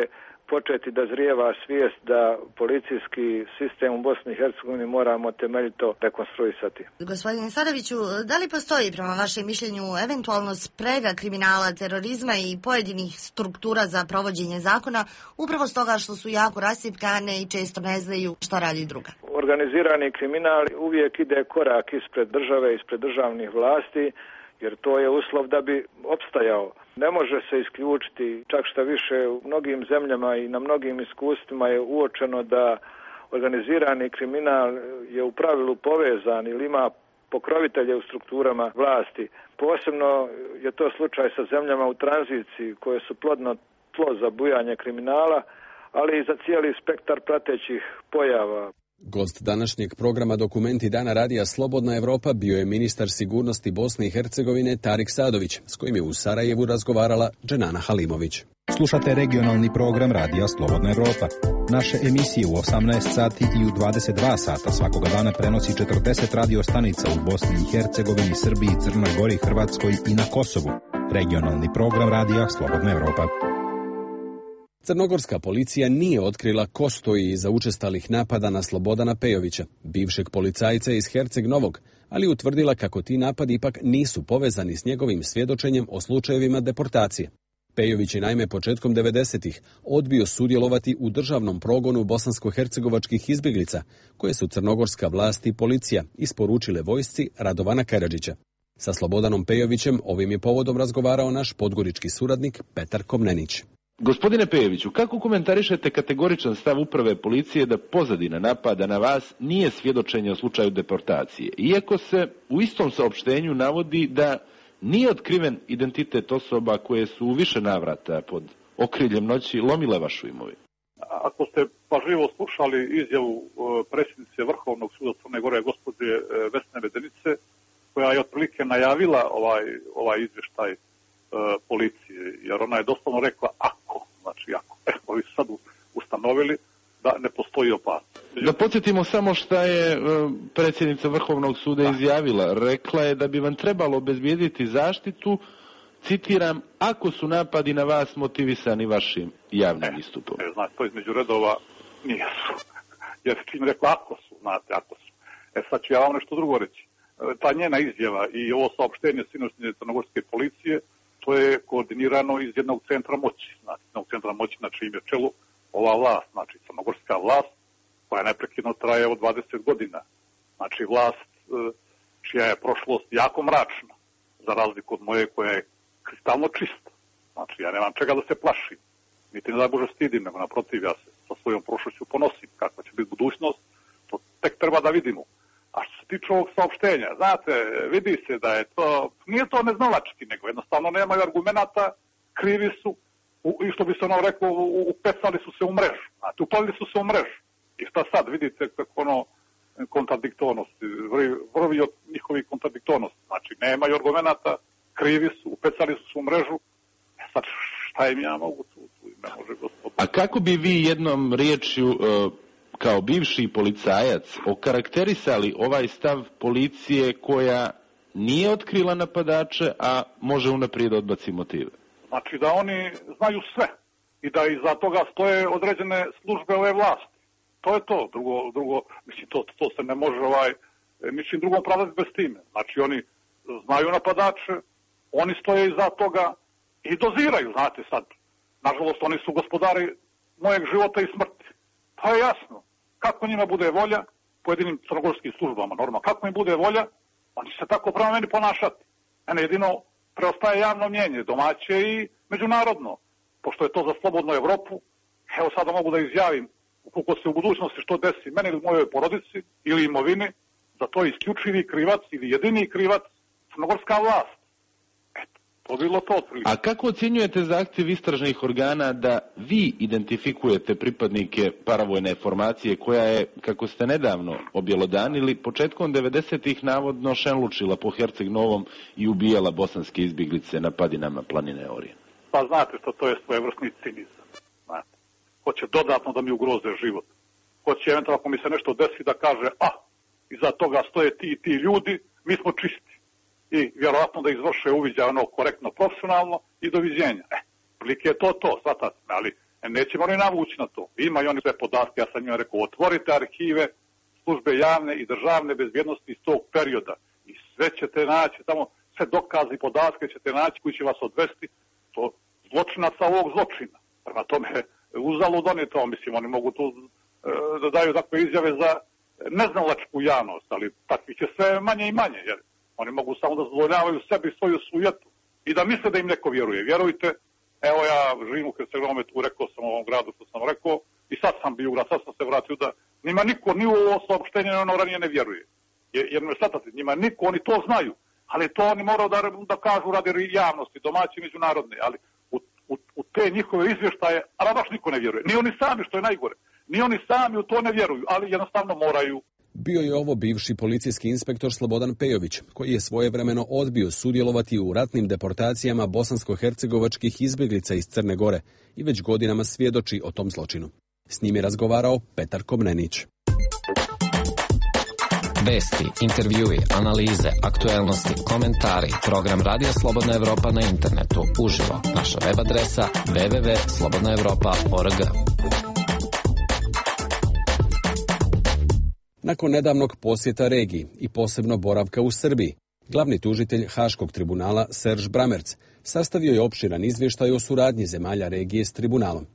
početi da zrijeva svijest da policijski sistem u Bosni i Hercegovini moramo temeljito rekonstruisati. Gospodine Sadoviću, da li postoji prema vašem mišljenju eventualno sprega kriminala, terorizma i pojedinih struktura za provođenje zakona upravo stoga što su jako rascjepkane i često ne znaju šta radi druga? Organizirani kriminal uvijek ide korak ispred države, ispred državnih vlasti, jer to je uslov da bi opstajao. Ne može se isključiti, čak šta više u mnogim zemljama i na mnogim iskustvima je uočeno da organizirani kriminal je u pravilu povezan ili ima pokrovitelje u strukturama vlasti. Posebno je to slučaj sa zemljama u tranziciji koje su plodno tlo za bujanje kriminala, ali i za cijeli spektar pratećih pojava. Gost današnjeg programa Dokumenti Dana radija Slobodna Evropa bio je ministar sigurnosti Bosne i Hercegovine Tarik Sadović, s kojim je u Sarajevu razgovarala Dženana Halimović. Slušate regionalni program radija Slobodna Evropa. Naše emisije u osamnaest sati i u dvadeset dva sata svakoga dana prenosi četrdeset radio stanica u Bosni i Hercegovini, Srbiji, Crnoj Gori, Hrvatskoj i na Kosovu. Regionalni program radija Slobodna Evropa. Crnogorska policija nije otkrila ko stoji iza učestalih napada na Slobodana Pejovića, bivšeg policajca iz Herceg Novog, ali utvrdila kako ti napadi ipak nisu povezani s njegovim svjedočenjem o slučajevima deportacije. Pejović je naime početkom devedesetih odbio sudjelovati u državnom progonu bosansko-hercegovačkih izbjeglica, koje su crnogorska vlast i policija isporučile vojsci Radovana Karadžića. Sa Slobodanom Pejovićem ovim je povodom razgovarao naš podgorički suradnik Petar Komnenić. Gospodine Pejoviću, kako komentarišete kategoričan stav uprave policije da pozadina napada na vas nije svjedočenje o slučaju deportacije, iako se u istom saopštenju navodi da nije otkriven identitet osoba koje su u više navrata pod okriljem noći lomile vašu imovinu? Ako ste pažljivo slušali izjavu predsjednice Vrhovnog suda Crne Gore, gospođe Vesne Medenice, koja je otprilike najavila ovaj, ovaj izvještaj policije, jer ona je doslovno rekla ako, znači ako. Evo, vi sad ustanovili da ne postoji opasnost. Da podsjetimo samo šta je predsjednica Vrhovnog suda da. izjavila. Rekla je da bi vam trebalo obezbijediti zaštitu, citiram, ako su napadi na vas motivisani vašim javnim ne, istupom. Ne, znači, to između redova nije su. Jer čim rekla ako su, znate, ako su. E sad ću ja vam nešto drugo reći. ta njena izjava i ovo saopštenje sinoćnje crnogorske policije, to je koordinirano iz jednog centra moći. Znači, jednog centra moći na čijem je čelu ova vlast, znači crnogorska vlast, koja neprekidno traje od dvadeset godina. Znači, vlast čija je prošlost jako mračna, za razliku od moje koja je kristalno čista. Znači, ja nemam čega da se plašim, niti ne da Bože stidim, nego naprotiv, ja se sa svojom prošlošću ponosim. Kakva će biti budućnost, to tek treba da vidimo. A što se tiče ovog saopštenja, znate, vidi se da je to, nije to neznalački, nego jednostavno nemaju argumenata, krivi su, u, i što bi se ono reklo, upecali su se u mrežu. Znate, upalili su se u mrežu. I šta sad, vidite kako ono, kontradiktornosti, vrvi od njihovih kontradiktornosti. Znači, nemaju argumenata, krivi su, upecali su se u mrežu. E sad, šta im ja mogu tu, tu ne može gospodin. A kako bi vi jednom riječju, uh, kao bivši policajac, okarakterisali ovaj stav policije koja nije otkrila napadače, a može unaprijed odbaci motive? Znači da oni znaju sve i da iza toga stoje određene službe ove vlasti. To je to. Drugo, drugo mislim, to, to se ne može ovaj, mislim, drugom pravdati bez time. Znači oni znaju napadače, oni stoje iza toga i doziraju, znate sad. Nažalost, oni su gospodari mojeg života i smrti. Pa je jasno. Kako njima bude volja, pojedinim crnogorskim službama, normalno, kako im bude volja, oni će se tako prema meni ponašati. Mene jedino preostaje javno mnjenje, domaće i međunarodno. Pošto je to za slobodnu Evropu, evo sada mogu da izjavim, ukoliko se u budućnosti što desi meni ili mojoj porodici ili imovini, za to je isključivi krivac ili jedini krivac crnogorska vlast. To bilo to otprilike. A kako ocjenjujete zahtjev istražnih organa da vi identifikujete pripadnike paravojne formacije koja je, kako ste nedavno objelodanili, početkom devedesetih navodno šenlučila po Herceg Novom i ubijala bosanske izbjeglice na padinama planine Orijen? Pa znate što to je svojevrsni cinizam. Znate. Hoće dodatno da mi ugroze život. Hoće eventualno ako mi se nešto desi da kaže, a, iza toga stoje ti i ti ljudi, mi smo čisti. I vjerovatno da izvrše uviđaj ono korektno, profesionalno i doviđenja. E, prilike je to to, svatate, ali nećemo ni navući na to. Ima i oni sve podatke, ja sam njima rekao, otvorite arhive, službe javne i državne bezbjednosti iz tog perioda i sve ćete naći, samo sve dokazi i podatke ćete naći koji će vas odvesti do zločinaca ovog zločina. Prema tome, uzalud oni to, mislim, oni mogu tu e, da daju takve izjave za neznalačku javnost, ali takvih će sve manje i manje, jer oni mogu samo da zadovoljavaju sebi svoju sujetu i da misle da im neko vjeruje. Vjerujte, evo ja živim u Hercegovini, tu rekao sam u ovom gradu što sam rekao i sad sam bio u grad, sad sam se vratio da njima niko ni u ovo saopštenje ono ranije ne vjeruje. Jer ne shvatate, njima niko, oni to znaju, ali to oni moraju da, da kažu radi javnosti, domaći i međunarodne, ali u, u, u te njihove izvještaje, ali baš niko ne vjeruje. Ni oni sami, što je najgore, ni oni sami u to ne vjeruju, ali jednostavno moraju. Bio je ovo bivši policijski inspektor Slobodan Pejović, koji je svojevremeno odbio sudjelovati u ratnim deportacijama bosansko-hercegovačkih izbjeglica iz Crne Gore i već godinama svjedoči o tom zločinu. S njim je razgovarao Petar Komnenić. Vesti, intervjui, analize, aktuelnosti, komentari, program Radija Slobodna Evropa na internetu, uživo, naša web adresa w w w tačka slobodna evropa tačka org. Nakon nedavnog posjeta regiji i posebno boravka u Srbiji, glavni tužitelj Haškog tribunala Serž Bramerc sastavio je opširan izvještaj o suradnji zemalja regije s tribunalom.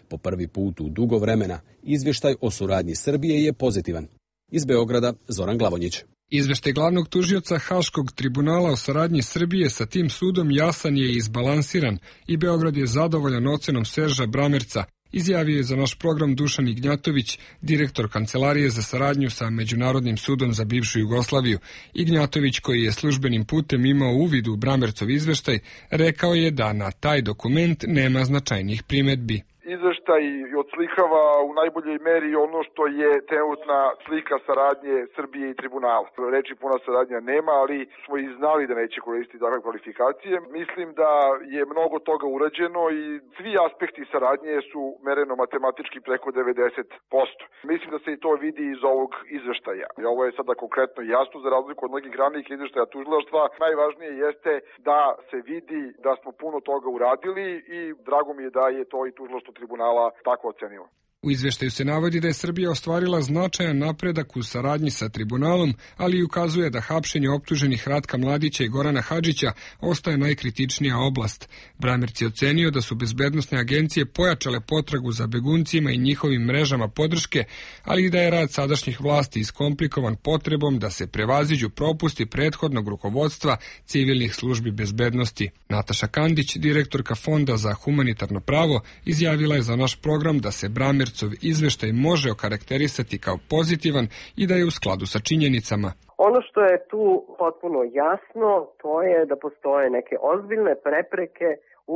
Po prvi put u dugo vremena izvještaj o suradnji Srbije je pozitivan. Iz Beograda Zoran Glavonjić. Izveštaj glavnog tužioca Haškog tribunala o saradnji Srbije sa tim sudom jasan je i izbalansiran i Beograd je zadovoljan ocenom Serža Bramerca, izjavio je za naš program Dušan Ignjatović, direktor Kancelarije za saradnju sa Međunarodnim sudom za bivšu Jugoslaviju. Ignjatović, koji je službenim putem imao uvid u Bramercov izveštaj, rekao je da na taj dokument nema značajnih primedbi. Izveštaj odslikava u najboljoj meri ono što je trenutna slika saradnje Srbije i tribunala. Reči puna saradnja nema, ali smo i znali da neće koristiti takve kvalifikacije. Mislim da je mnogo toga urađeno i svi aspekti saradnje su mereno matematički preko devedeset posto. Mislim da se i to vidi iz ovog izveštaja. Ovo je sada konkretno jasno za razliku od mnogih ranijih izveštaja tužilaštva. Najvažnije jeste da se vidi da smo puno toga uradili i drago mi je da je to i tužilaštvo tribunala tako ocenilo. U izveštaju se navodi da je Srbija ostvarila značajan napredak u saradnji sa tribunalom, ali i ukazuje da hapšenje optuženih Ratka Mladića i Gorana Hadžića ostaje najkritičnija oblast. Bramerc je ocenio da su bezbednosne agencije pojačale potragu za beguncima i njihovim mrežama podrške, ali i da je rad sadašnjih vlasti iskomplikovan potrebom da se prevaziđu propusti prethodnog rukovodstva civilnih službi bezbednosti. Nataša Kandić, direktorka Fonda za humanitarno pravo, izjavila je za naš program da se Bramerc izveštaj može okarakterisati kao pozitivan i da je u skladu sa činjenicama. Ono što je tu potpuno jasno, to je da postoje neke ozbiljne prepreke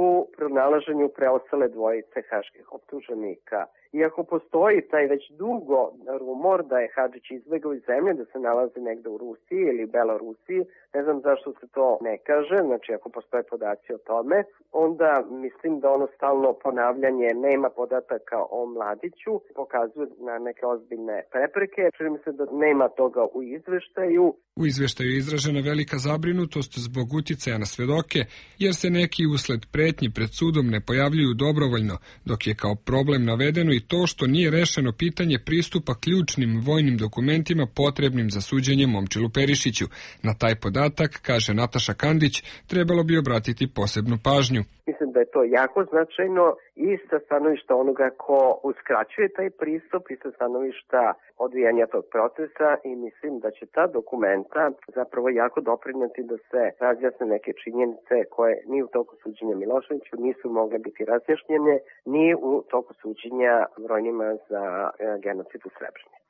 u pronalaženju preostale dvojice haških optuženika. Iako postoji taj već dugo rumor da je Hadžić izbegao iz zemlje, da se nalazi negde u Rusiji ili Belorusiji, ne znam zašto se to ne kaže, znači ako postoje podaci o tome, onda mislim da ono stalno ponavljanje nema podataka o Mladiću pokazuje na neke ozbiljne prepreke. Čini mi se da nema toga u izveštaju. U izveštaju je izražena velika zabrinutost zbog uticaja na svedoke, jer se neki usled pretnji pred sudom ne pojavljuju dobrovoljno, dok je kao problem navedeno i to što nije rešeno pitanje pristupa ključnim vojnim dokumentima potrebnim za suđenje Momčilu Perišiću. Na taj podatak, kaže Nataša Kandić, trebalo bi obratiti posebnu pažnju. Mislim da je to jako značajno i sa stanovišta onoga ko uskraćuje taj pristup i sa stanovišta odvijanja tog procesa i mislim da će ta dokumenta zapravo jako doprineti da se razjasne neke činjenice koje ni u toku suđenja Miloševiću nisu mogle biti razjašnjene, ni u toku suđenja brojnima za genocid u Srebrenici.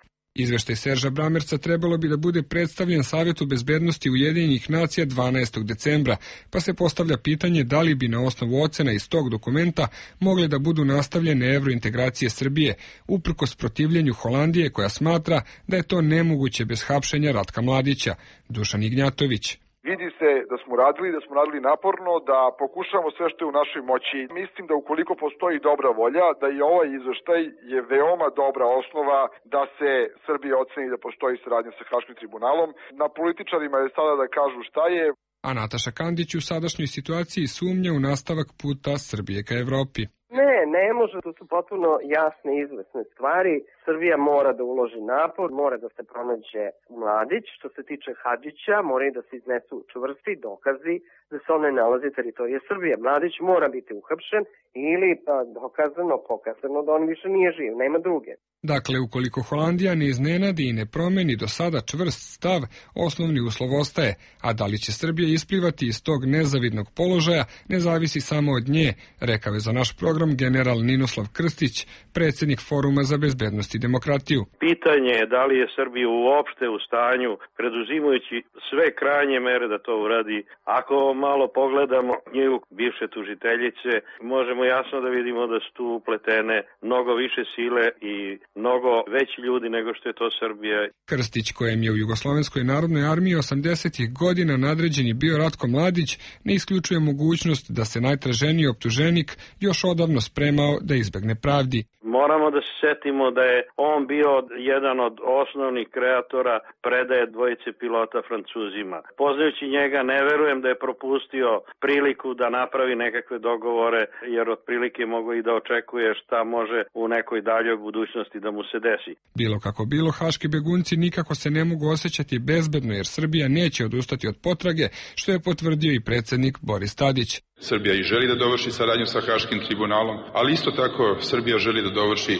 Izveštaj Serža Bramerca trebalo bi da bude predstavljen Savetu bezbednosti Ujedinjenih nacija dvanaestog decembra, pa se postavlja pitanje da li bi na osnovu ocena iz tog dokumenta mogle da budu nastavljene evrointegracije Srbije, uprkos protivljenju Holandije koja smatra da je to nemoguće bez hapšenja Ratka Mladića. Dušan Ignjatović. Vidi se da smo radili, da smo radili naporno, da pokušamo sve što je u našoj moći. Mislim da ukoliko postoji dobra volja, da i ovaj izveštaj je veoma dobra osnova da se Srbija oceni da postoji saradnja sa Haškim tribunalom. Na političarima je sada da kažu šta je. A Nataša Kandić u sadašnjoj situaciji sumnja u nastavak puta Srbije ka Evropi. Ne, ne može, to su potpuno jasne i izvesne stvari. Srbija mora da uloži napor, mora da se pronađe Mladić. Što se tiče Hadžića, mora i da se iznesu čvrsti dokazi da se on ne nalazi teritorije Srbije. Mladić mora biti uhapšen ili pa, dokazano, pokazano da on više nije živ, nema druge. Dakle, ukoliko Holandija ne iznenadi i ne promeni do sada čvrst stav, osnovni uslov ostaje, a da li će Srbija isplivati iz tog nezavidnog položaja ne zavisi samo od nje, rekao je za naš program general Ninoslav Krstić, predsjednik Foruma za bezbednost i demokratiju. Pitanje je da li je Srbija uopšte u stanju, preduzimajući sve krajnje mere da to uradi. Ako malo pogledamo knjigu bivše tužiteljice, možemo jasno da vidimo da su tu upletene mnogo više sile i mnogo veći ljudi nego što je to Srbija. Krstić, kojem je u Jugoslovenskoj narodnoj armiji osamdesetih godina nadređeni bio Ratko Mladić, ne isključuje mogućnost da se najtraženiji optuženik još odavno spremao da izbegne pravdi. Moramo da se setimo da je on bio jedan od osnovnih kreatora predaje dvojice pilota Francuzima. Poznajući njega, ne verujem da je propustio priliku da napravi nekakve dogovore, jer otprilike mogu i da očekuje šta može u nekoj daljoj budućnosti da mu se desi. Bilo kako bilo, haški begunci nikako se ne mogu osjećati bezbedno, jer Srbija neće odustati od potrage, što je potvrdio i predsjednik Boris Tadić. Srbija i želi da dovrši saradnju sa Haškim tribunalom, ali isto tako Srbija želi da dovrši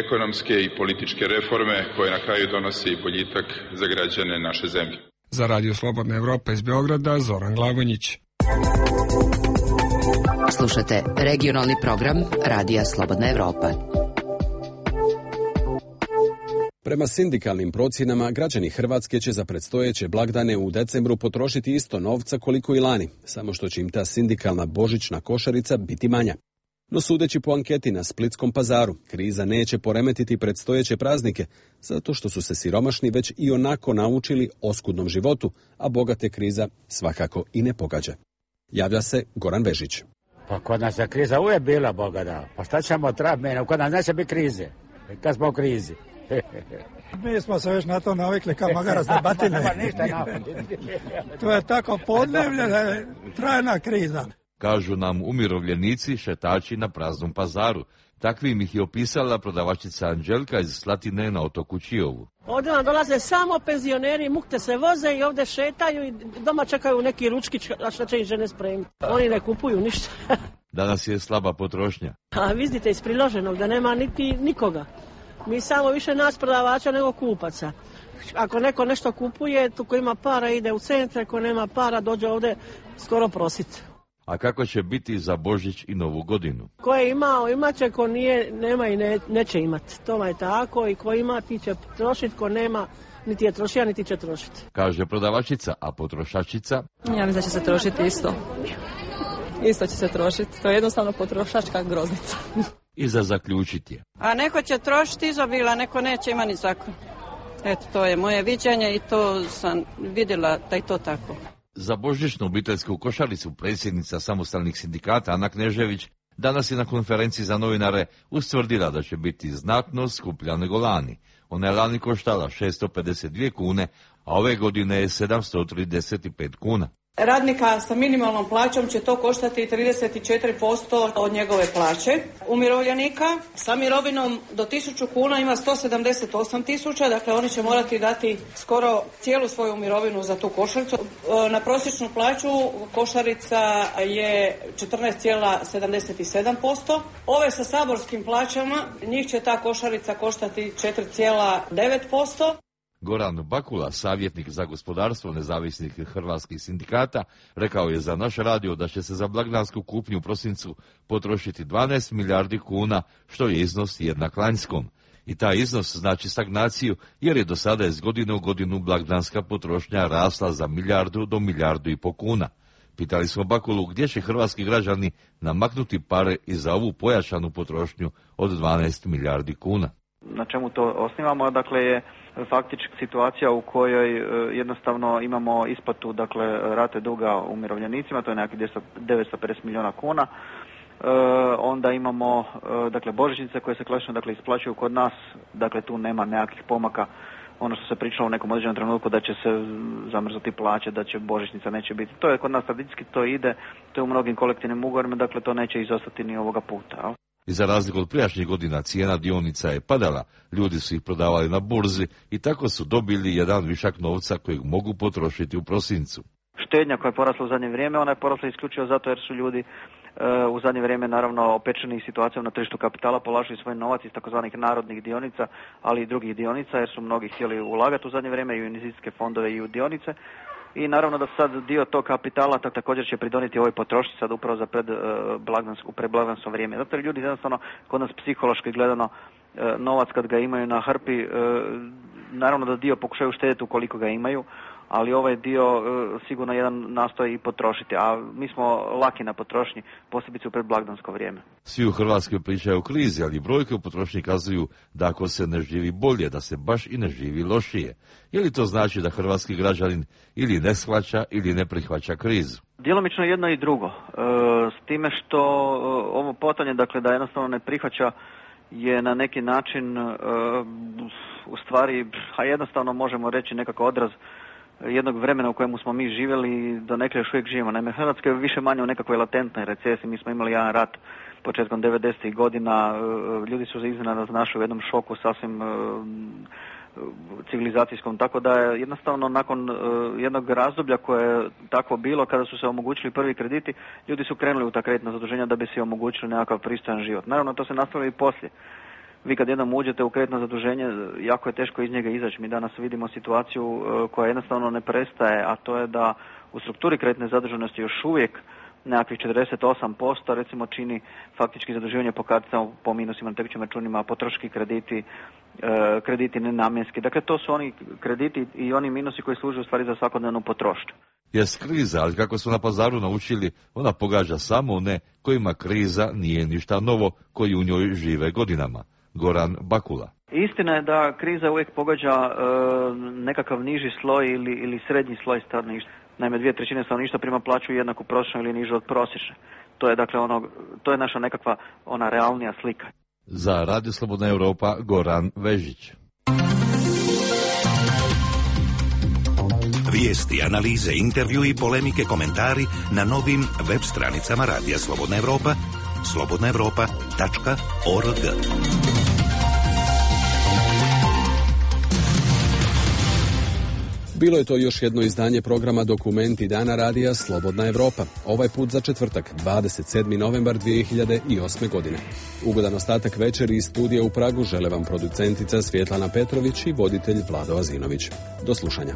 ekonomske i političke reforme koje na kraju donose i boljitak za građane naše zemlje. Za Radio Slobodna Evropa iz Beograda, Zoran Glavonjić. Slušate regionalni program Radija Slobodna Evropa. Prema sindikalnim procjenama, građani Hrvatske će za predstojeće blagdane u decembru potrošiti isto novca koliko i lani, samo što će im ta sindikalna božićna košarica biti manja. No sudeći po anketi na Splitskom pazaru, kriza neće poremetiti predstojeće praznike, zato što su se siromašni već i onako naučili oskudnom životu, a bogate kriza svakako i ne pogađa. Javlja se Goran Vežić. Pa kod nas je kriza uvijek bila, Boga da. Pa šta ćemo trap mene, kod nas neće biti krize, kad smo u krizi. Mi smo se već na to navikli kao magarac na batine. To je tako podnevlje, trajna kriza. kažu nam umirovljenici šetači na praznom pazaru. Takvim ih je opisala prodavačica Anđelka iz Slatine na otoku Čiovu. Ovdje nam dolaze samo penzioneri, mukte se voze i ovdje šetaju i doma čekaju neki ručkić, a što će im žene spremiti. Oni ne kupuju ništa. Danas je slaba potrošnja. A vidite iz priloženog da nema niti nikoga. Mi samo više nas prodavača nego kupaca. Ako neko nešto kupuje, tu ko ima para ide u centre, ko nema para dođe ovdje skoro prositi. A kako će biti za Božić i Novu godinu? Ko je imao, imat će, ko nije, nema i ne, neće imati. To je tako i ko ima, ti će trošiti, ko nema, niti je trošija, niti će trošiti. Kaže prodavačica, a potrošačica? Ja mislim da će se trošiti isto. Isto će se trošiti. To je jednostavno potrošačka groznica. I za zaključiti je. A neko će trošiti izobila, neko neće ima ni zakon. Eto, to je moje viđenje i to sam vidjela da je to tako. Za božićnu obiteljsku košaricu predsjednica samostalnih sindikata Ana Knežević danas je na konferenciji za novinare ustvrdila da će biti znatno skuplja nego lani. Ona je lani koštala šesto pedeset dvije kune, a ove godine je sedamsto trideset pet kuna. Radnika sa minimalnom plaćom će to koštati trideset četiri posto od njegove plaće. Umirovljenika sa mirovinom do tisuću kuna ima sto sedamdeset osam tisuća, dakle oni će morati dati skoro cijelu svoju mirovinu za tu košaricu. Na prosječnu plaću košarica je četrnaest zarez sedamdeset sedam posto. Ove sa saborskim plaćama, njih će ta košarica koštati četiri zarez devet posto. Goran Bakula, savjetnik za gospodarstvo nezavisnih hrvatskih sindikata, rekao je za naš radio da će se za blagdansku kupnju u prosincu potrošiti dvanaest milijardi kuna, što je iznos jednak lanjskom. I taj iznos znači stagnaciju, jer je do sada iz godine u godinu blagdanska potrošnja rasla za milijardu do milijardu i po kuna. Pitali smo Bakulu gdje će hrvatski građani namaknuti pare i za ovu pojačanu potrošnju od dvanaest milijardi kuna. Na čemu to osnivamo, dakle je faktički situacija u kojoj jednostavno imamo isplatu, dakle rate duga umirovljenicima, to je nekakvih devetsto pedeset milijuna kuna. E, onda imamo dakle božićnice koje se klasično dakle isplaćuju kod nas, dakle tu nema nekakvih pomaka. Ono što se pričalo u nekom određenom trenutku da će se zamrznuti plaće, da će božićnica neće biti. To je kod nas tradicijski, to ide, to je u mnogim kolektivnim ugovorima, dakle to neće izostati ni ovoga puta. Al? I za razliku od prijašnjih godina cijena dionica je padala, ljudi su ih prodavali na burzi i tako su dobili jedan višak novca kojeg mogu potrošiti u prosincu. Štednja koja je porasla u zadnje vrijeme, ona je porasla isključivo zato jer su ljudi e, u zadnje vrijeme naravno opečeni situacijom na tržištu kapitala, polažili svoj novac iz takozvanih narodnih dionica, ali i drugih dionica jer su mnogi htjeli ulagati u zadnje vrijeme i u investicijske fondove i u dionice. I naravno da sad dio tog kapitala tak, također će pridoniti ovoj potrošnji sad upravo za pred, uh, blagdansko, predblagdansko vrijeme. Zato jer ljudi jednostavno kod nas psihološki gledano uh, novac kad ga imaju na hrpi, uh, naravno da dio pokušaju štediti ukoliko ga imaju, ali ovaj dio uh, sigurno jedan nastoji i potrošiti, a mi smo laki na potrošnji, posebice u predblagdansko vrijeme. Svi u Hrvatskoj pričaju o krizi, ali brojke u potrošnji kazuju da ako se ne živi bolje, da se baš i ne živi lošije. Je li to znači da hrvatski građanin ili ne shvaća ili ne prihvaća krizu? Djelomično jedno i drugo. E, s time što e, ovo potanje, dakle da jednostavno ne prihvaća je na neki način e, u stvari, a jednostavno možemo reći nekako odraz jednog vremena u kojemu smo mi živjeli, do nekle još uvijek živimo. Naime, Hrvatska je više manje u nekakvoj latentnoj recesiji. Mi smo imali jedan rat početkom devedesetih godina, ljudi su iznenada našli u jednom šoku sasvim civilizacijskom, tako da je jednostavno nakon jednog razdoblja koje je takvo bilo, kada su se omogućili prvi krediti, ljudi su krenuli u ta kreditna zaduženja da bi se omogućili nekakav pristojan život. Naravno, to se nastavilo i poslije. Vi kad jednom uđete u kreditno zaduženje, jako je teško iz njega izaći. Mi danas vidimo situaciju koja jednostavno ne prestaje, a to je da u strukturi kreditne zaduženosti još uvijek nekakvih četrdeset osam posto recimo čini faktički zaduživanje po karticama, po minusima na tekućim računima, potrošački krediti, krediti nenamjenski. Dakle, to su oni krediti i oni minusi koji služe u stvari za svakodnevnu potrošnju. Jest kriza, ali kako su na pazaru naučili, ona pogađa samo one kojima kriza nije ništa novo, koji u njoj žive godinama. Goran Bakula. Istina je da kriza uvijek pogađa e, nekakav niži sloj ili, ili srednji sloj stanovništva. Naime, dvije trećine stanovništva prima plaću jednaku prosječnu ili nižu od prosječne. To je dakle ono, to je naša nekakva ona realnija slika. Za Radio Slobodna Europa, Goran Vežić. Vijesti, analize, intervju i polemike, komentari na novim web stranicama Radija Slobodna Evropa, slobodna evropa tačka org. Bilo je to još jedno izdanje programa Dokumenti dana radija Slobodna Evropa. Ovaj put za četvrtak, dvadeset sedmi novembar dvije hiljade osme. godine. Ugodan ostatak večeri iz studija u Pragu žele vam producentica Svjetlana Petrović i voditelj Vlado Azinović. Do slušanja.